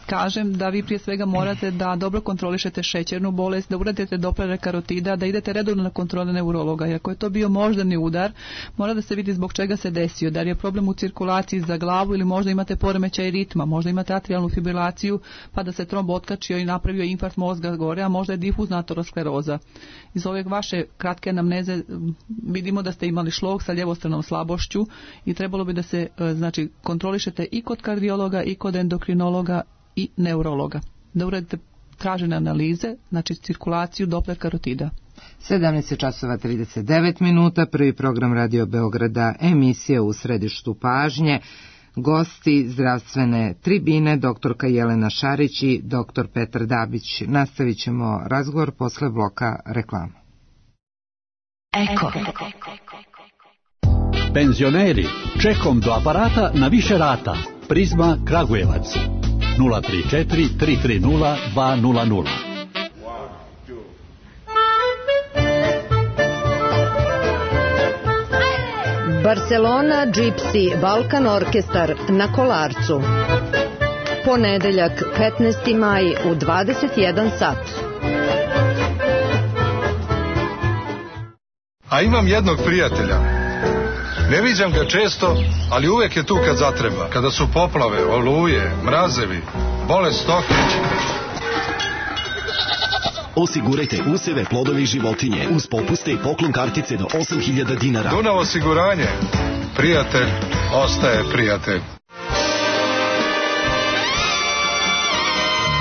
kažem da vi prije svega morate da dobro kontrolišete šećernu bolest, da uradite Dopplera karotida, da idete redovno na kontrole neurologa. I ako je to bio moždani udar, mora da se vidi zbog čega se desio. Da li je problem u cirkulaciji za glavu ili možda imate poremećaj ritma, možda imate atrijalnu fibrilaciju pa da se tromb otkačio i napravio infarkt mozga gore, a možda je difuzna ateroskleroza. Iz ove vaše kratke anamneze vidimo da ste imali šlog sa ljevostranom slabošću i trebalo bi da se znači kontrolišete i kod kardiologa i kod endokrinologa i neurologa. Da uradite tražene analize, znači cirkulaciju Doppler karotida. sedamnaest časova trideset devet minuta, prvi program Radio Beograda, emisija U središtu pažnje. Gosti zdravstvene tribine, doktorka Jelena Šarić i doktor Petar Dabić. Nastavit ćemo razgovor posle bloka reklama. Eko. Penzioneri, čekom do aparata na više rata. Prizma Kragujevac. nula tri četiri tri tri nula dva nula nula. Barcelona Gypsy Balkan Orkestar na Kolarcu. Ponedeljak petnaesti maj u dvadeset jedan sat. A imam jednog prijatelja. Ne viđam ga često, ali uvek je tu kad zatreba. Kada su poplave, oluje, mrazevi, bolest stoke. Osigurajte useve, plodove i životinje uz popuste i poklon kartice do osam hiljada dinara. Dunav osiguranje. Prijatelj ostaje prijatelj.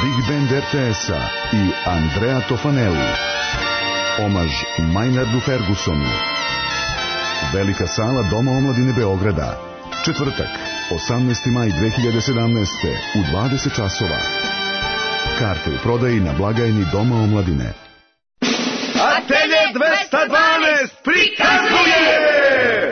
Big Band R T S-a i Andrea Tofanelli. Omaž Maynardu Fergusonu. Velika sala Doma omladine Beograda. Četvrtak, osamnaesti maj dve hiljade sedamnaeste. u dvadeset časova. Karte u prodaji na blagajni Doma omladine. Atelje dvesta dvanaest prikazuje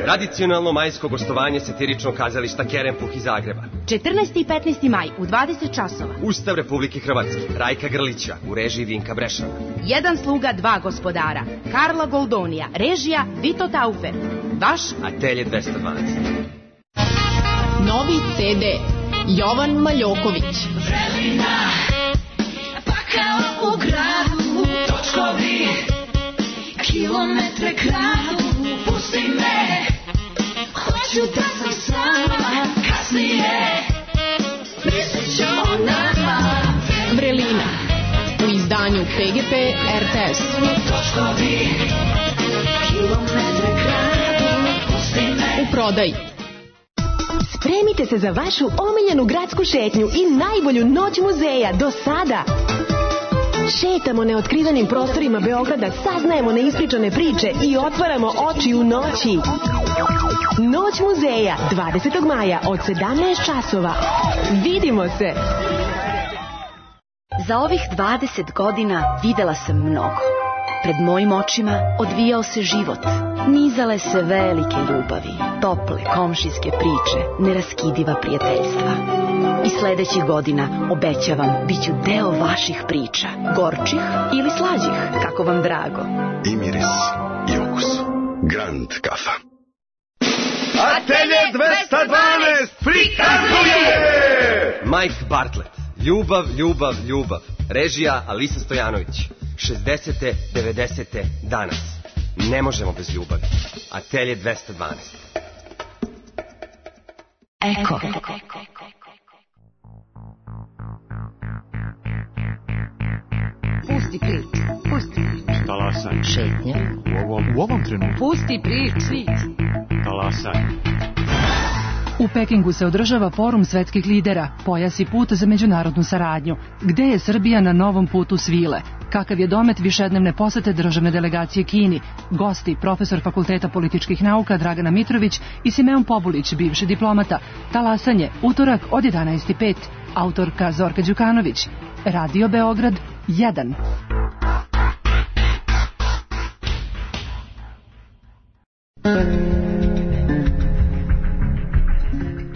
tradicionalno majsko gostovanje satiričnog kazališta Kerempuh iz Zagreba. četrnaesti i petnaesti maj u dvadeset časova. Ustav Republike Hrvatske, Rajka Grlića u režiji Vinka Brešana. Jedan sluga, dva gospodara. Karla Goldonija, režija Vito Taufer. Vaš Atelje dvesta dvanaest. Novi ce de Jovan Maljoković. Vrelina, pakao u gradu, točkovi, kilometre kradu, pusti me, hoću da sam sama, kasnije, mislit ću o nama. Vrelina, u izdanju P G P R T S. Točkovi, kilometre kradu, pusti me. U prodaji. Spremite se za vašu omiljenu gradsku šetnju i najbolju noć muzeja do sada. Šetamo neotkrivenim prostorima Beograda, saznajemo neispričane priče i otvaramo oči u noći. Noć muzeja, dvadesetog maja od sedamnaest časova. Vidimo se! Za ovih dvadeset godina videla sam mnogo. Pred mojim očima odvijao se život. Nizale se velike ljubavi, tople komšijske priče, neraskidiva prijateljstva. I sledećih godina, obećavam, bit ću deo vaših priča, gorčih ili slađih, kako vam drago. I miris, i okus. Grand kafa. Atelje dvesta dvanaest prikazuje Mike Bartlett, Ljubav, ljubav, ljubav. Režija Alisa Stojanović. šezdesete, devedesete danas. Ne možemo bez ljubavi. Atelje dvesta dvanaest. Eko. Pusti prič, pusti prič. Talasaj. Šetnja. U ovom, u ovom trenutku. Pusti prič. Talasaj. U Pekingu se održava forum svetskih lidera, pojas i put za međunarodnu saradnju. Gde je Srbija na novom putu svile? Kakav je domet višednevne posete državne delegacije Kini? Gosti, profesor Fakulteta političkih nauka Dragana Mitrović i Simeon Pobulić, bivši diplomata. Talasanje, utorak od jedanaest i pet. Autorka Zorka Đukanović. Radio Beograd jedan.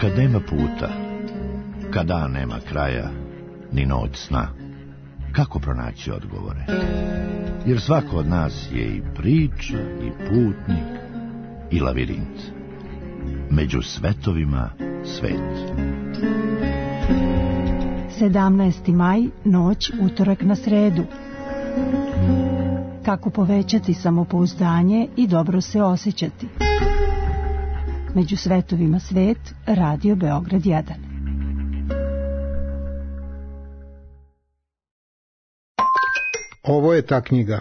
Kad nema puta, kad dan nema kraja, ni noć sna, kako pronaći odgovore? Jer svako od nas je i priča, i putnik, i lavirint. Među svetovima svet. sedamnaesti maj, noć, utorak na sredu. Kako povećati samopouzdanje i dobro se osjećati? Među svetovima svet, Radio Beograd jedan. Ovo je ta knjiga.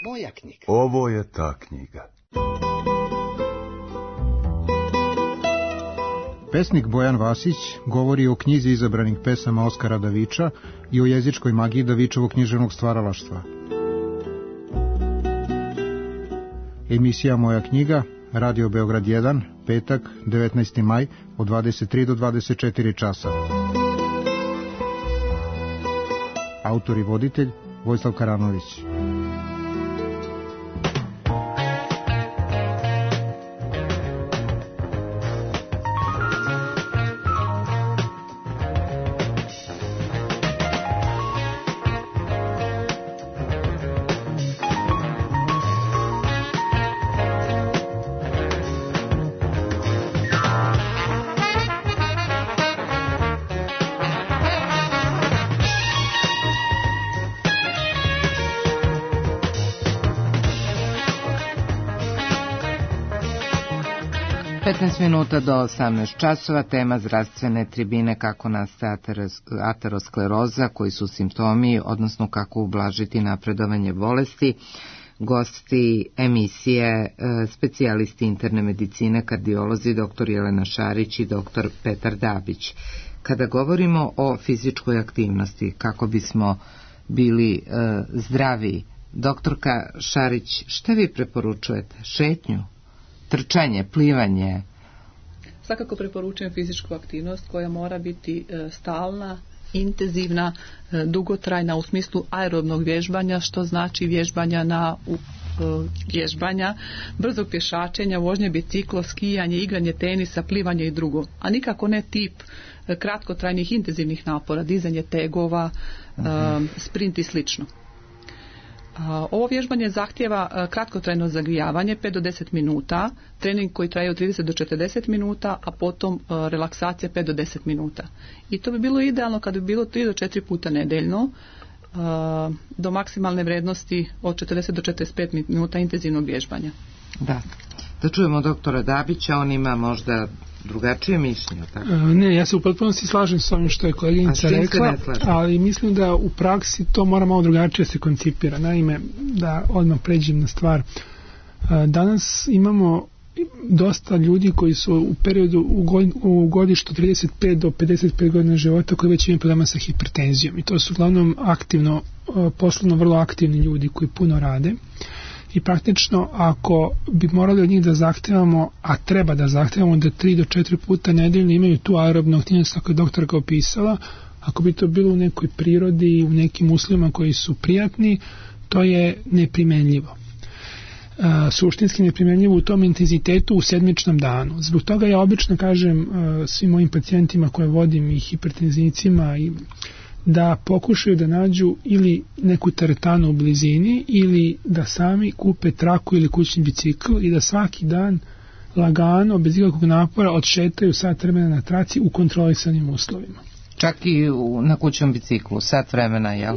Moja knjiga. Ovo je ta knjiga. Pesnik Bojan Vasić govori o knjizi izabranih pesama Oskara Daviča i o jezičkoj magiji Davičevog književnog stvaralaštva. Emisija Moja knjiga, Radio Beograd jedan, petak, devetnaesti maj, od dvadeset tri do dvadeset četiri časa. Autor i voditelj Vojislav Karanović. petnaest minuta do osamnaest časova, tema zdravstvene tribine, kako nastaje ateroskleroza, koji su simptomi, odnosno kako ublažiti napredovanje bolesti. Gosti emisije, specijalisti interne medicine, kardiolozi, doktor Jelena Šarić i doktor Petar Dabić. Kada govorimo o fizičkoj aktivnosti, kako bismo bili zdravi, doktorka Šarić, šta vi preporučujete? Šetnju? Trčanje, plivanje? Svakako preporučujem fizičku aktivnost koja mora biti stalna, intenzivna, dugotrajna u smislu aerobnog vježbanja, što znači vježbanja na vježbanja, brzog pješačenja, vožnje biciklo, skijanje, igranje tenisa, plivanje i drugo. A nikako ne tip kratkotrajnih intenzivnih napora, dizanje tegova, uh-huh. sprint i slično. Ovo vježbanje zahtjeva kratkotrajno zagrijavanje pet do deset minuta, trening koji traje od trideset do četrdeset minuta, a potom relaksacija pet do deset minuta. I to bi bilo idealno kad bi bilo tri do četiri puta nedeljno, do maksimalne vrednosti od četrdeset do četrdeset pet minuta intenzivnog vježbanja. Da. Da čujemo doktora Dabića, on ima možda drugačije mišljenje. Tako? Ne, ja se u potpunosti slažem s ovim što je koleginica rekla, ali mislim da u praksi to mora malo drugačije se koncipira. Naime, da odmah pređem na stvar. Danas imamo dosta ljudi koji su u periodu u godištu trideset pet do pedeset pet godina života koji već imaju problema sa hipertenzijom. I to su uglavnom aktivno, poslovno vrlo aktivni ljudi koji puno rade. I praktično ako bi morali od njih da zahtevamo, a treba da zahtevamo da tri do četiri puta nedeljno imaju tu aerobnu aktivnost kako je doktorka opisala, ako bi to bilo u nekoj prirodi, u nekim uslovima koji su prijatni, to je neprimenljivo. Uh, suštinski neprimenljivo u tom intenzitetu u sedmičnom danu. Zbog toga ja obično kažem uh, svim mojim pacijentima koje vodim i hipertenzivcima i da pokušaju da nađu ili neku teretanu u blizini ili da sami kupe traku ili kućni bicikl i da svaki dan lagano, bez ikakvog napora odšetaju sat vremena na traci u kontrolisanim uslovima. Čak i u, na kućnom biciklu, sat vremena, jel?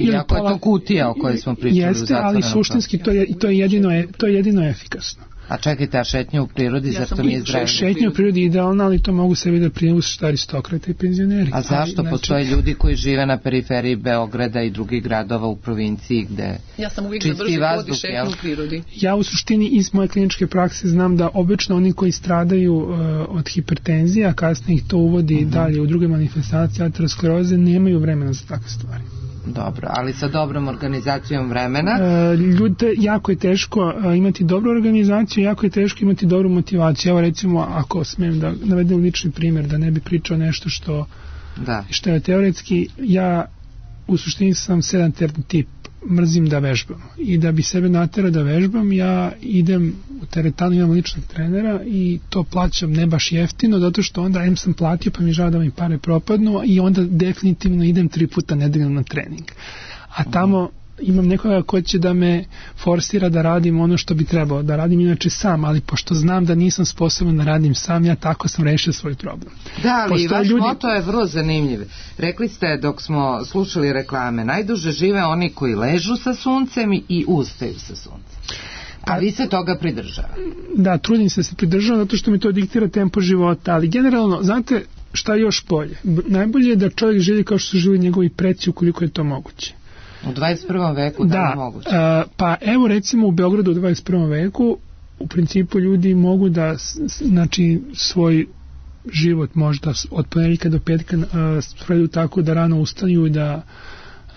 Iako je to kutija o kojoj smo pričali. Jeste, ali suštinski to je, to je, jedino, to je jedino efikasno. A čekajte, a šetnja u prirodi, ja zašto nije zdravlje? Šetnja u prirodi je idealna, ali to mogu sebi da prijevu što aristokrata i penzioneri. A zašto? Ali, postoje znači... ljudi koji žive na periferiji Beograda i drugih gradova u provinciji gde ja sam uvijek za brži hod i šetnju u prirodi. Ja u suštini iz moje kliničke prakse znam da obično oni koji stradaju uh, od hipertenzije, a kasnije ih to uvodi uh-huh. dalje u druge manifestacije ateroskleroze, nemaju vremena za takve stvari. Dobro, ali sa dobrom organizacijom vremena? E, Ljudite, jako je teško a, imati dobru organizaciju, jako je teško imati dobru motivaciju. Evo recimo, ako smijem da navedem lični primjer, da ne bi pričao nešto što, da. što je teoretski, ja u suštini sam sedentarni tip, mrzim da vežbam. I da bi sebe naterao da vežbam, ja idem u teretanu, imam ličnog trenera i to plaćam ne baš jeftino, zato što onda em sam platio pa mi žao da mi pare propadnu i onda definitivno idem tri puta nedeljno na trening. A tamo imam nekoga ko će da me forsira da radim ono što bi trebao, da radim inače sam, ali pošto znam da nisam sposoban da radim sam, ja tako sam rešio svoj problem. Da, ali vaš ljudi... moto je vrlo zanimljiv. Rekli ste dok smo slušali reklame, najduže žive oni koji ležu sa suncem i ustaju sa suncem. A vi se toga pridržava? Da, trudim se da se pridržavam zato što mi to diktira tempo života, ali generalno, znate šta je još bolje? Najbolje je da čovjek živi kao što su živjeli njegovi preci ukoliko je to moguće. U dvadeset prvom veku, da, da je moguće? Da, pa evo recimo u Beogradu u dvadeset prvom veku u principu ljudi mogu da znači svoj život možda od ponedjeljka do petka spredu tako da rano ustaju i da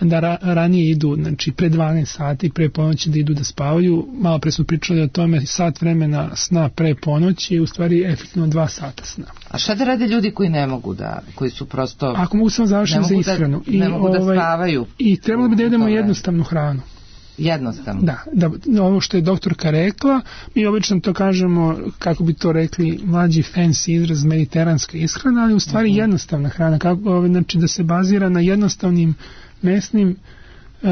da ra, ranije idu, znači pre dvanaest sati, pre ponoći da idu da spavaju. Malo pre smo pričali o tome, sat vremena sna pre ponoći je u stvari efektivno dva sata sna. A šta da rade ljudi koji ne mogu da, koji su prosto... Ako mogu samo završiti za ishranu. Da, ne I, mogu da ovaj, spavaju. I trebalo bi da jedemo jednostavnu hranu. Jednostavno? Da, da, ovo što je doktorka rekla, mi obično to kažemo, kako bi to rekli, mlađi fancy izraz, mediteranska ishrana, ali u stvari uh-huh. jednostavna hrana, kako, znači da se bazira na jednostavnim mesnim, uh,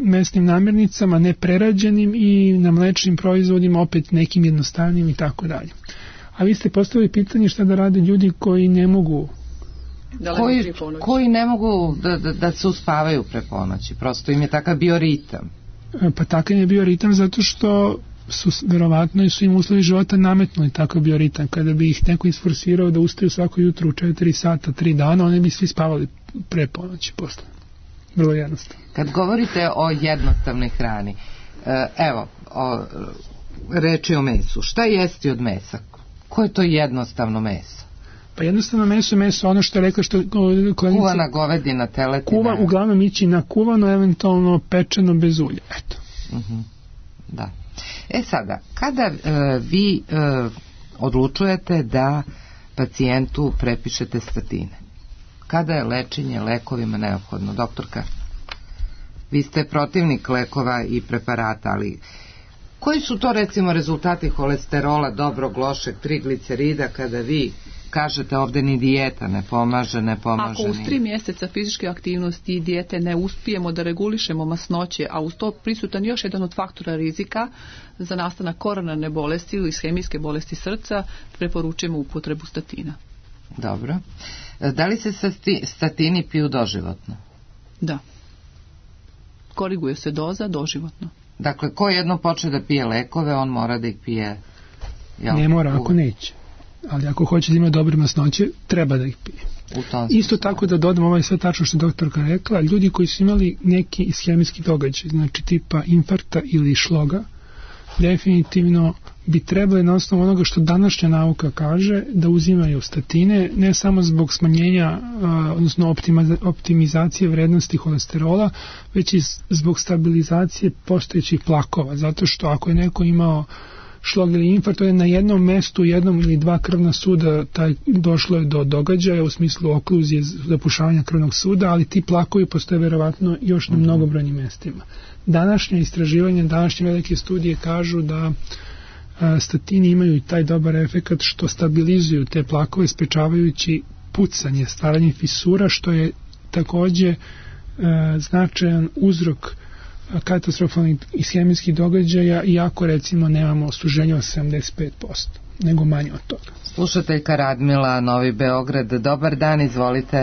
mesnim namirnicama, neprerađenim i na mlečnim proizvodima, opet nekim jednostavnim i tako dalje. A vi ste postavili pitanje šta da rade ljudi koji ne mogu koji, koji ne mogu da, da, da se uspavaju pre ponoći, prosto im je takav bioritam. Pa takav je bioritam zato što su verovatno i su im uslovi života nametnuli takav bioritam. Kada bi ih neko isforsirao da ustaju svako jutro u četiri sata, tri dana, oni bi svi spavali pre ponoći posle. Vrlo jednostavno. Kad govorite o jednostavnoj hrani, evo, o, reči o mesu, šta jesti od mesa? Koje je to jednostavno meso? Pa jednostavno meso je meso, ono što je rekla što... Kuvana govedina, teletina. Kuva, uglavnom ići na kuvano, eventualno pečeno bez ulja, eto. Uh-huh. Da. E sada, kada e, vi e, odlučujete da pacijentu prepišete statine? Kada je lečenje lekovima neophodno? Doktorka, vi ste protivnik lekova i preparata, ali koji su to recimo rezultati holesterola, dobrog, lošeg, triglicerida, kada vi kažete ovde ni dijeta ne pomaže, ne pomaže. Ako uz tri mjeseca fizičke aktivnosti i dijete ne uspijemo da regulišemo masnoće, a uz to prisutan još jedan od faktora rizika za nastanak koronarne bolesti ili ishemijske bolesti srca, preporučujemo upotrebu statina. Dobro. Da li se statini piju doživotno? Da. Koriguje se doza doživotno. Dakle, ko jedno počne da pije lekove, on mora da ih pije... Jel? Ne mora, ako neće. Ali ako hoće da ima dobre masnoće, treba da ih pije. Isto tako da dodam ovaj sve tačno što je doktorka rekla, ljudi koji su imali neki ishemijski događaj, znači tipa infarkta ili šloga, definitivno bi trebali na osnovu onoga što današnja nauka kaže da uzimaju statine, ne samo zbog smanjenja, odnosno optimizacije vrednosti holesterola, već i zbog stabilizacije postojećih plakova, zato što ako je neko imao šlog ili infarkt, to je na jednom mestu, jednom ili dva krvna suda taj, došlo je do događaja u smislu okluzije, zapušavanja krvnog suda, ali ti plakovi postoje verovatno još na mnogobrojnim mestima. Današnje istraživanje, današnje velike studije kažu da a, statini imaju i taj dobar efekat što stabilizuju te plakove, sprečavajući pucanje, stvaranje fisura, što je takođe a, značajan uzrok katastrofalnih ishemijskih događaja, iako recimo nemamo suženje od sedamdeset pet posto, nego manje od toga. Slušateljka Radmila, Novi Beograd, dobar dan, izvolite.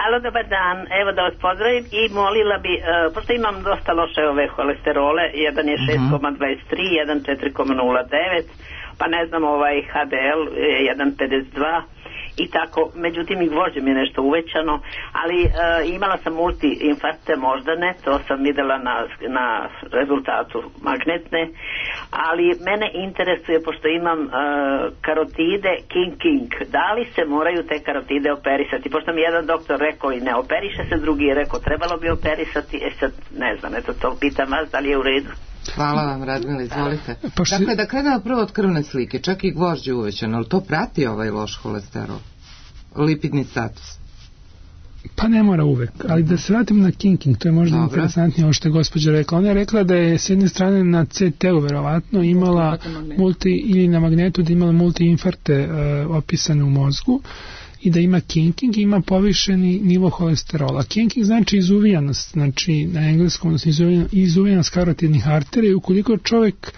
Alo, dobar dan, evo da vas pozdravim i molila bi, uh, pošto imam dosta loše ove holesterole, jedan je šest zarez dvadeset tri, jedan četiri zarez nula devet, pa ne znam, ovaj ha de el je jedan zarez pedeset dva, i tako, međutim i gvožđe mi je nešto uvećano, ali uh, imala sam multi-infarkte moždane, to sam videla na, na rezultatu magnetne, ali mene interesuje, pošto imam uh, karotide King King, da li se moraju te karotide operisati, pošto mi jedan doktor rekao i ne operiše se, drugi je rekao trebalo bi operisati, e sad ne znam, eto to pitam vas, da li je u redu. Hvala vam, Radmila, izvolite. Pošto... Dakle, da krenemo prvo od krvne slike, čak i gvožđe uvećano, ali to prati ovaj loš holesterol? Lipidni status? Pa ne mora uvek, ali da se vratim na King King, to je možda Dobre. interesantnije ovo što je gospođa rekla. Ona je rekla da je s jedne strane na ce te u verovatno imala multi, ili na magnetu da imala multiinfarte uh, opisane u mozgu i da ima King King, ima povišeni nivo holesterola. King King znači izuvijanost, znači na engleskom, odnosno izuvijanost karotidnih arterija, i ukoliko čovjek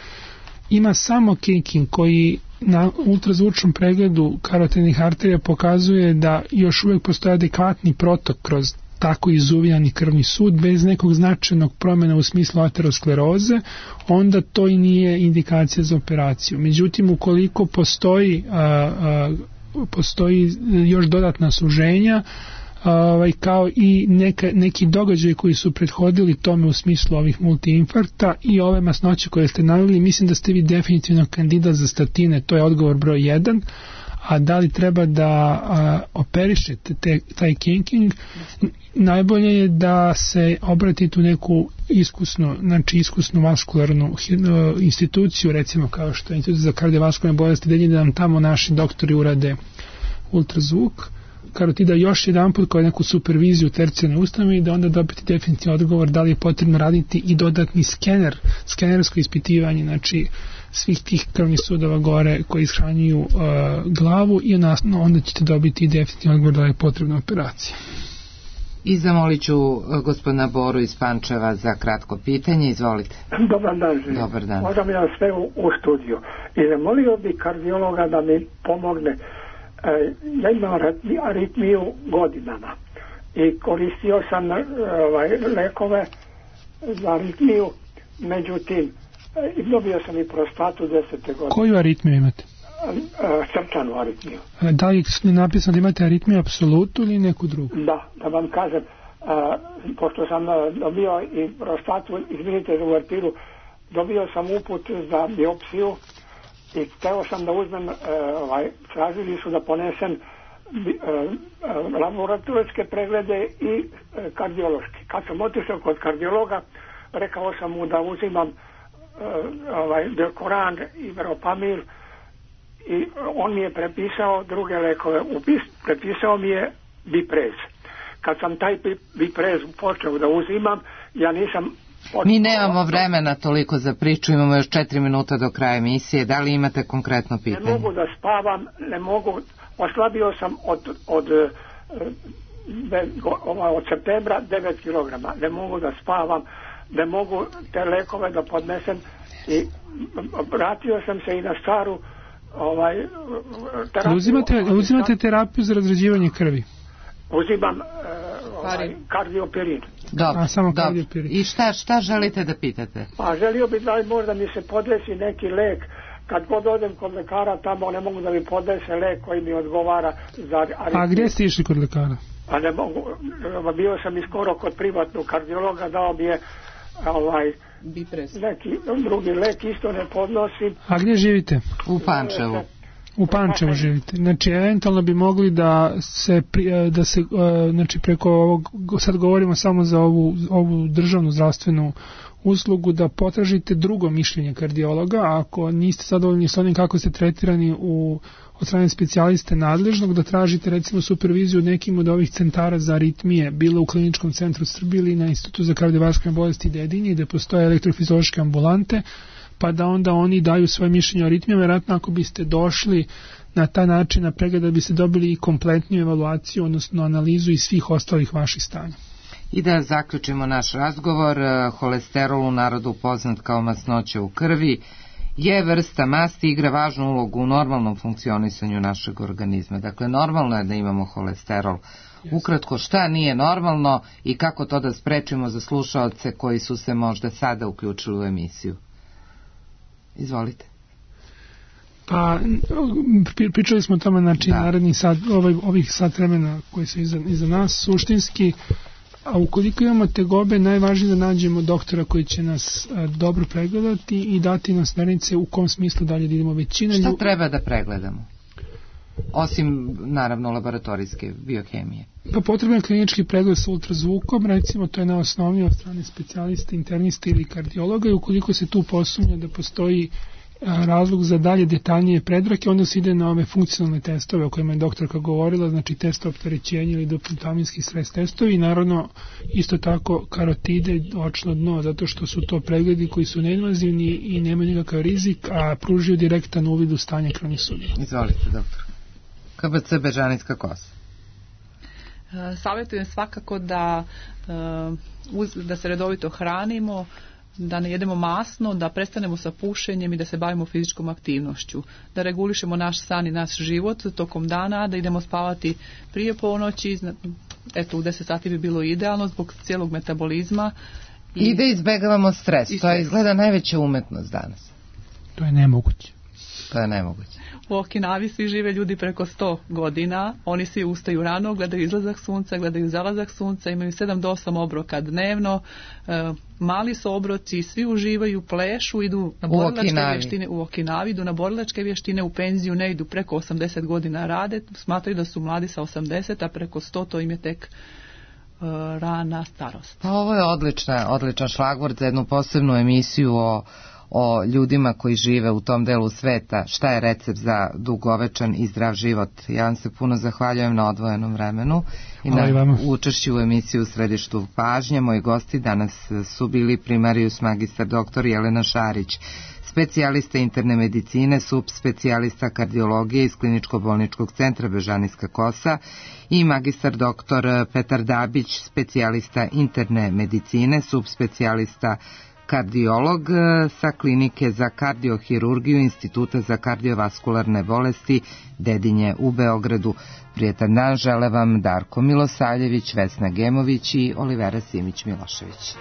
ima samo King King koji na ultrazvučnom pregledu karotidnih arterija pokazuje da još uvijek postoji adekvatni protok kroz tako izuvijani krvni sud bez nekog značajnog promjena u smislu ateroskleroze, onda to i nije indikacija za operaciju. Međutim, ukoliko postoji a, a, postoji još dodatna suženja, ovaj, kao i neka, neki događaj koji su prethodili tome u smislu ovih multiinfarkta i ove masnoće koje ste naveli, mislim da ste vi definitivno kandidat za statine, to je odgovor broj jedan. A da li treba da a, operišete te, taj King King, najbolje je da se obratite u neku iskusnu, znači iskusnu vaskularnu instituciju, recimo kao što je Institut za kardiovaskularne bolesti, da nam tamo naši doktori urade ultrazvuk karotida još jedan put kao neku superviziju tercijarne ustanove i da onda dobiti definitivni odgovor da li je potrebno raditi i dodatni skener, skenersko ispitivanje, znači svih tih krvnih sudova gore koji ishranjuju uh, glavu i onasno, onda ćete dobiti i definitivni odgovor da li je potrebna operacija. I zamolit ću uh, gospodina Boru iz Pančeva za kratko pitanje, izvolite. Dobar dan, živim. Dobar dan. Možda ja sve u, u studiju. I zamolio bi kardiologa da mi pomogne. E, ja imam aritmiju godinama i koristio sam ovaj, lekove za aritmiju, međutim i dobio sam i prostatu desete godine. Koju aritmiju imate? Srčanu aritmiju. Da li je napisano da imate aritmiju apsolutu ili neku drugu? Da, da vam kažem, pošto sam dobio i prostatu, izvinite za uvertiru, dobio sam uput za biopsiju i hteo sam da uzmem, ovaj, tražili su da ponesem laboratorijske preglede i kardiološki. Kad sam otišao kod kardiologa, rekao sam mu da uzimam ovaj, Delcoran i Veropamil i on mi je prepisao druge lekove. Upis, prepisao mi je Biprez. Kad sam taj Biprez počeo da uzimam, ja nisam... Mi nemamo vremena toliko za priču, imamo još četiri minuta do kraja emisije. Da li imate konkretno pitanje? Ne mogu da spavam, ne mogu... Oslabio sam od, od, od, od septembra devet kilograma. Ne mogu da spavam, ne mogu te lekove da podnesem i vratio sam se i na staru ovaj, terapiju. Uzimate, uzimate terapiju za razređivanje krvi? Uzimam ovaj, kardiopirin. Dobro, dobro. I šta, šta želite da pitate? Pa želio bih da možda mi se podesi neki lek. Kad god odem kod lekara, tamo ne mogu da mi podese lek koji mi odgovara za aritmiju. A gdje ste išli kod lekara? Pa ne mogu, bio sam i skoro kod privatnog kardiologa, dao mi je ovaj, neki drugi lek, isto ne podnosim. A gdje živite? U Pančevu. U Pančevu živite. Znači, eventualno bi mogli da se, da se znači, preko ovog, sad govorimo samo za ovu, ovu državnu zdravstvenu uslugu, da potražite drugo mišljenje kardiologa, a ako niste zadovoljni s onim kako ste tretirani u, od strane specijaliste nadležnog, da tražite recimo superviziju nekim od ovih centara za aritmije, bilo u Kliničkom centru Srbije ili na Institutu za kardiovaskularne bolesti Dedinje, gde postoje elektrofiziološke ambulante, pa da onda oni daju svoje mišljenje o aritmijama. Vjerojatno ako biste došli na taj način na pregled, da biste dobili i kompletniju evaluaciju, odnosno analizu i svih ostalih vaših stanja. I da zaključimo naš razgovor, holesterol u narodu poznat kao masnoća u krvi je vrsta masti i igra važnu ulogu u normalnom funkcionisanju našeg organizma. Dakle, normalno je da imamo holesterol. Ukratko, šta nije normalno i kako to da sprečimo za slušaoce koji su se možda sada uključili u emisiju? Izvolite. Pa, pričali smo o tome, znači, da. Naredni sat, ovaj, ovih sat vremena koji su iza, iza nas, suštinski, a ukoliko imamo tegobe, najvažnije da nađemo doktora koji će nas a, dobro pregledati i dati nam smernice u kom smislu dalje da idemo. Većina Šta lju... treba da pregledamo? Osim, naravno, laboratorijske biohemije. Pa potreban je klinički pregled sa ultrazvukom, recimo to je najosnovnije od strane specijalista, internista ili kardiologa, i ukoliko se tu posumnja da postoji razlog za dalje detaljnije predrake, onda se ide na ove funkcionalne testove o kojima je doktorka govorila, znači test opterećenja ili dopuntaminski stres testovi, i naravno isto tako karotide, očno dno, zato što su to pregledi koji su neinvazivni i nemaju nikakav rizik, a pružaju direktan uvid u stanje krvnih sudova. Izvolite, doktor. K B C Bežanijska kosa. Savjetujem svakako da, da se redovito hranimo, da ne jedemo masno, da prestanemo sa pušenjem i da se bavimo fizičkom aktivnošću, da regulišemo naš san i naš život tokom dana, da idemo spavati prije ponoći, eto u deset sati bi bilo idealno zbog cijelog metabolizma. I, I da izbegavamo stres, to je izgleda najveća umetnost danas. To je nemoguće. To je nemoguće. U Okinavi svi žive ljudi preko sto godina, oni svi ustaju rano, gledaju izlazak sunca, gledaju zalazak sunca, imaju sedam do osam obroka dnevno, e, mali su obroci, svi uživaju, plešu, idu na borilačke vještine u Okinavi, idu na borilačke vještine, u penziju ne idu, preko osamdeset godina rade, smatraju da su mladi sa osamdeset, a preko sto to im je tek e, rana starost. Pa ovo je odlična, odličan šlagvort za jednu posebnu emisiju o o ljudima koji žive u tom delu sveta. Šta je recept za dugovečan i zdrav život? Ja vam se puno zahvaljujem na odvojenom vremenu i na učešću u emisiju u središtu pažnje. Moji gosti danas su bili primarijus magistar doktor Jelena Šarić, specijalista interne medicine, subspecijalista kardiologije iz Kliničko-bolničkog centra Bežanijska kosa, i magistar doktor Petar Dabić, specijalista interne medicine, subspecijalista kardiolog sa klinike za kardiohirurgiju Instituta za kardiovaskularne bolesti Dedinje u Beogradu. Prijetan dan žele vam Darko Milosavljević, Vesna Gemović i Olivera Simić Milošević.